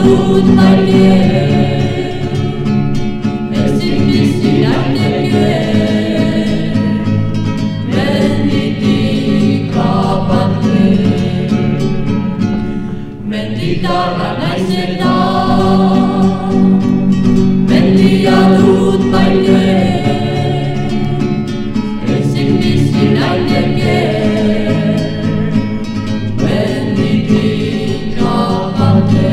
dut maite, ezin bizi naiteke, menditik aparte. Menditarra naiz eta, mendia dut maite, ezin bizi naiteke, menditik aparte.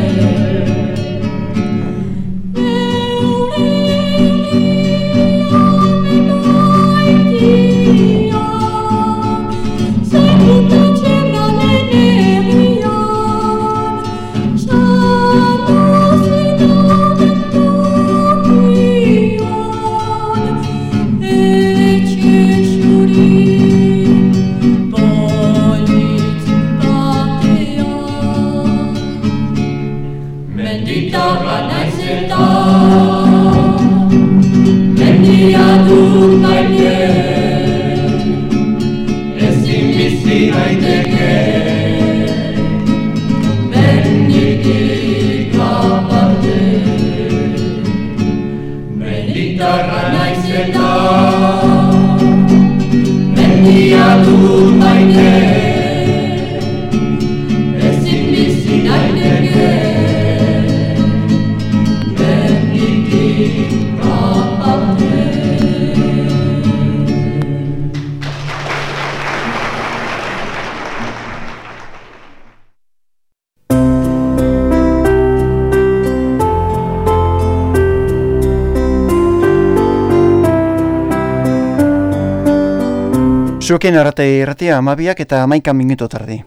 Menditarra naiz eta, mendia dut maite, ezin bizi naiteke, menditik aparte. Menditarra naiz eta, mendia dut maite, ezin bizi naiteke, Zuekin arrate irratia amabiak eta hamaika minutu tardi.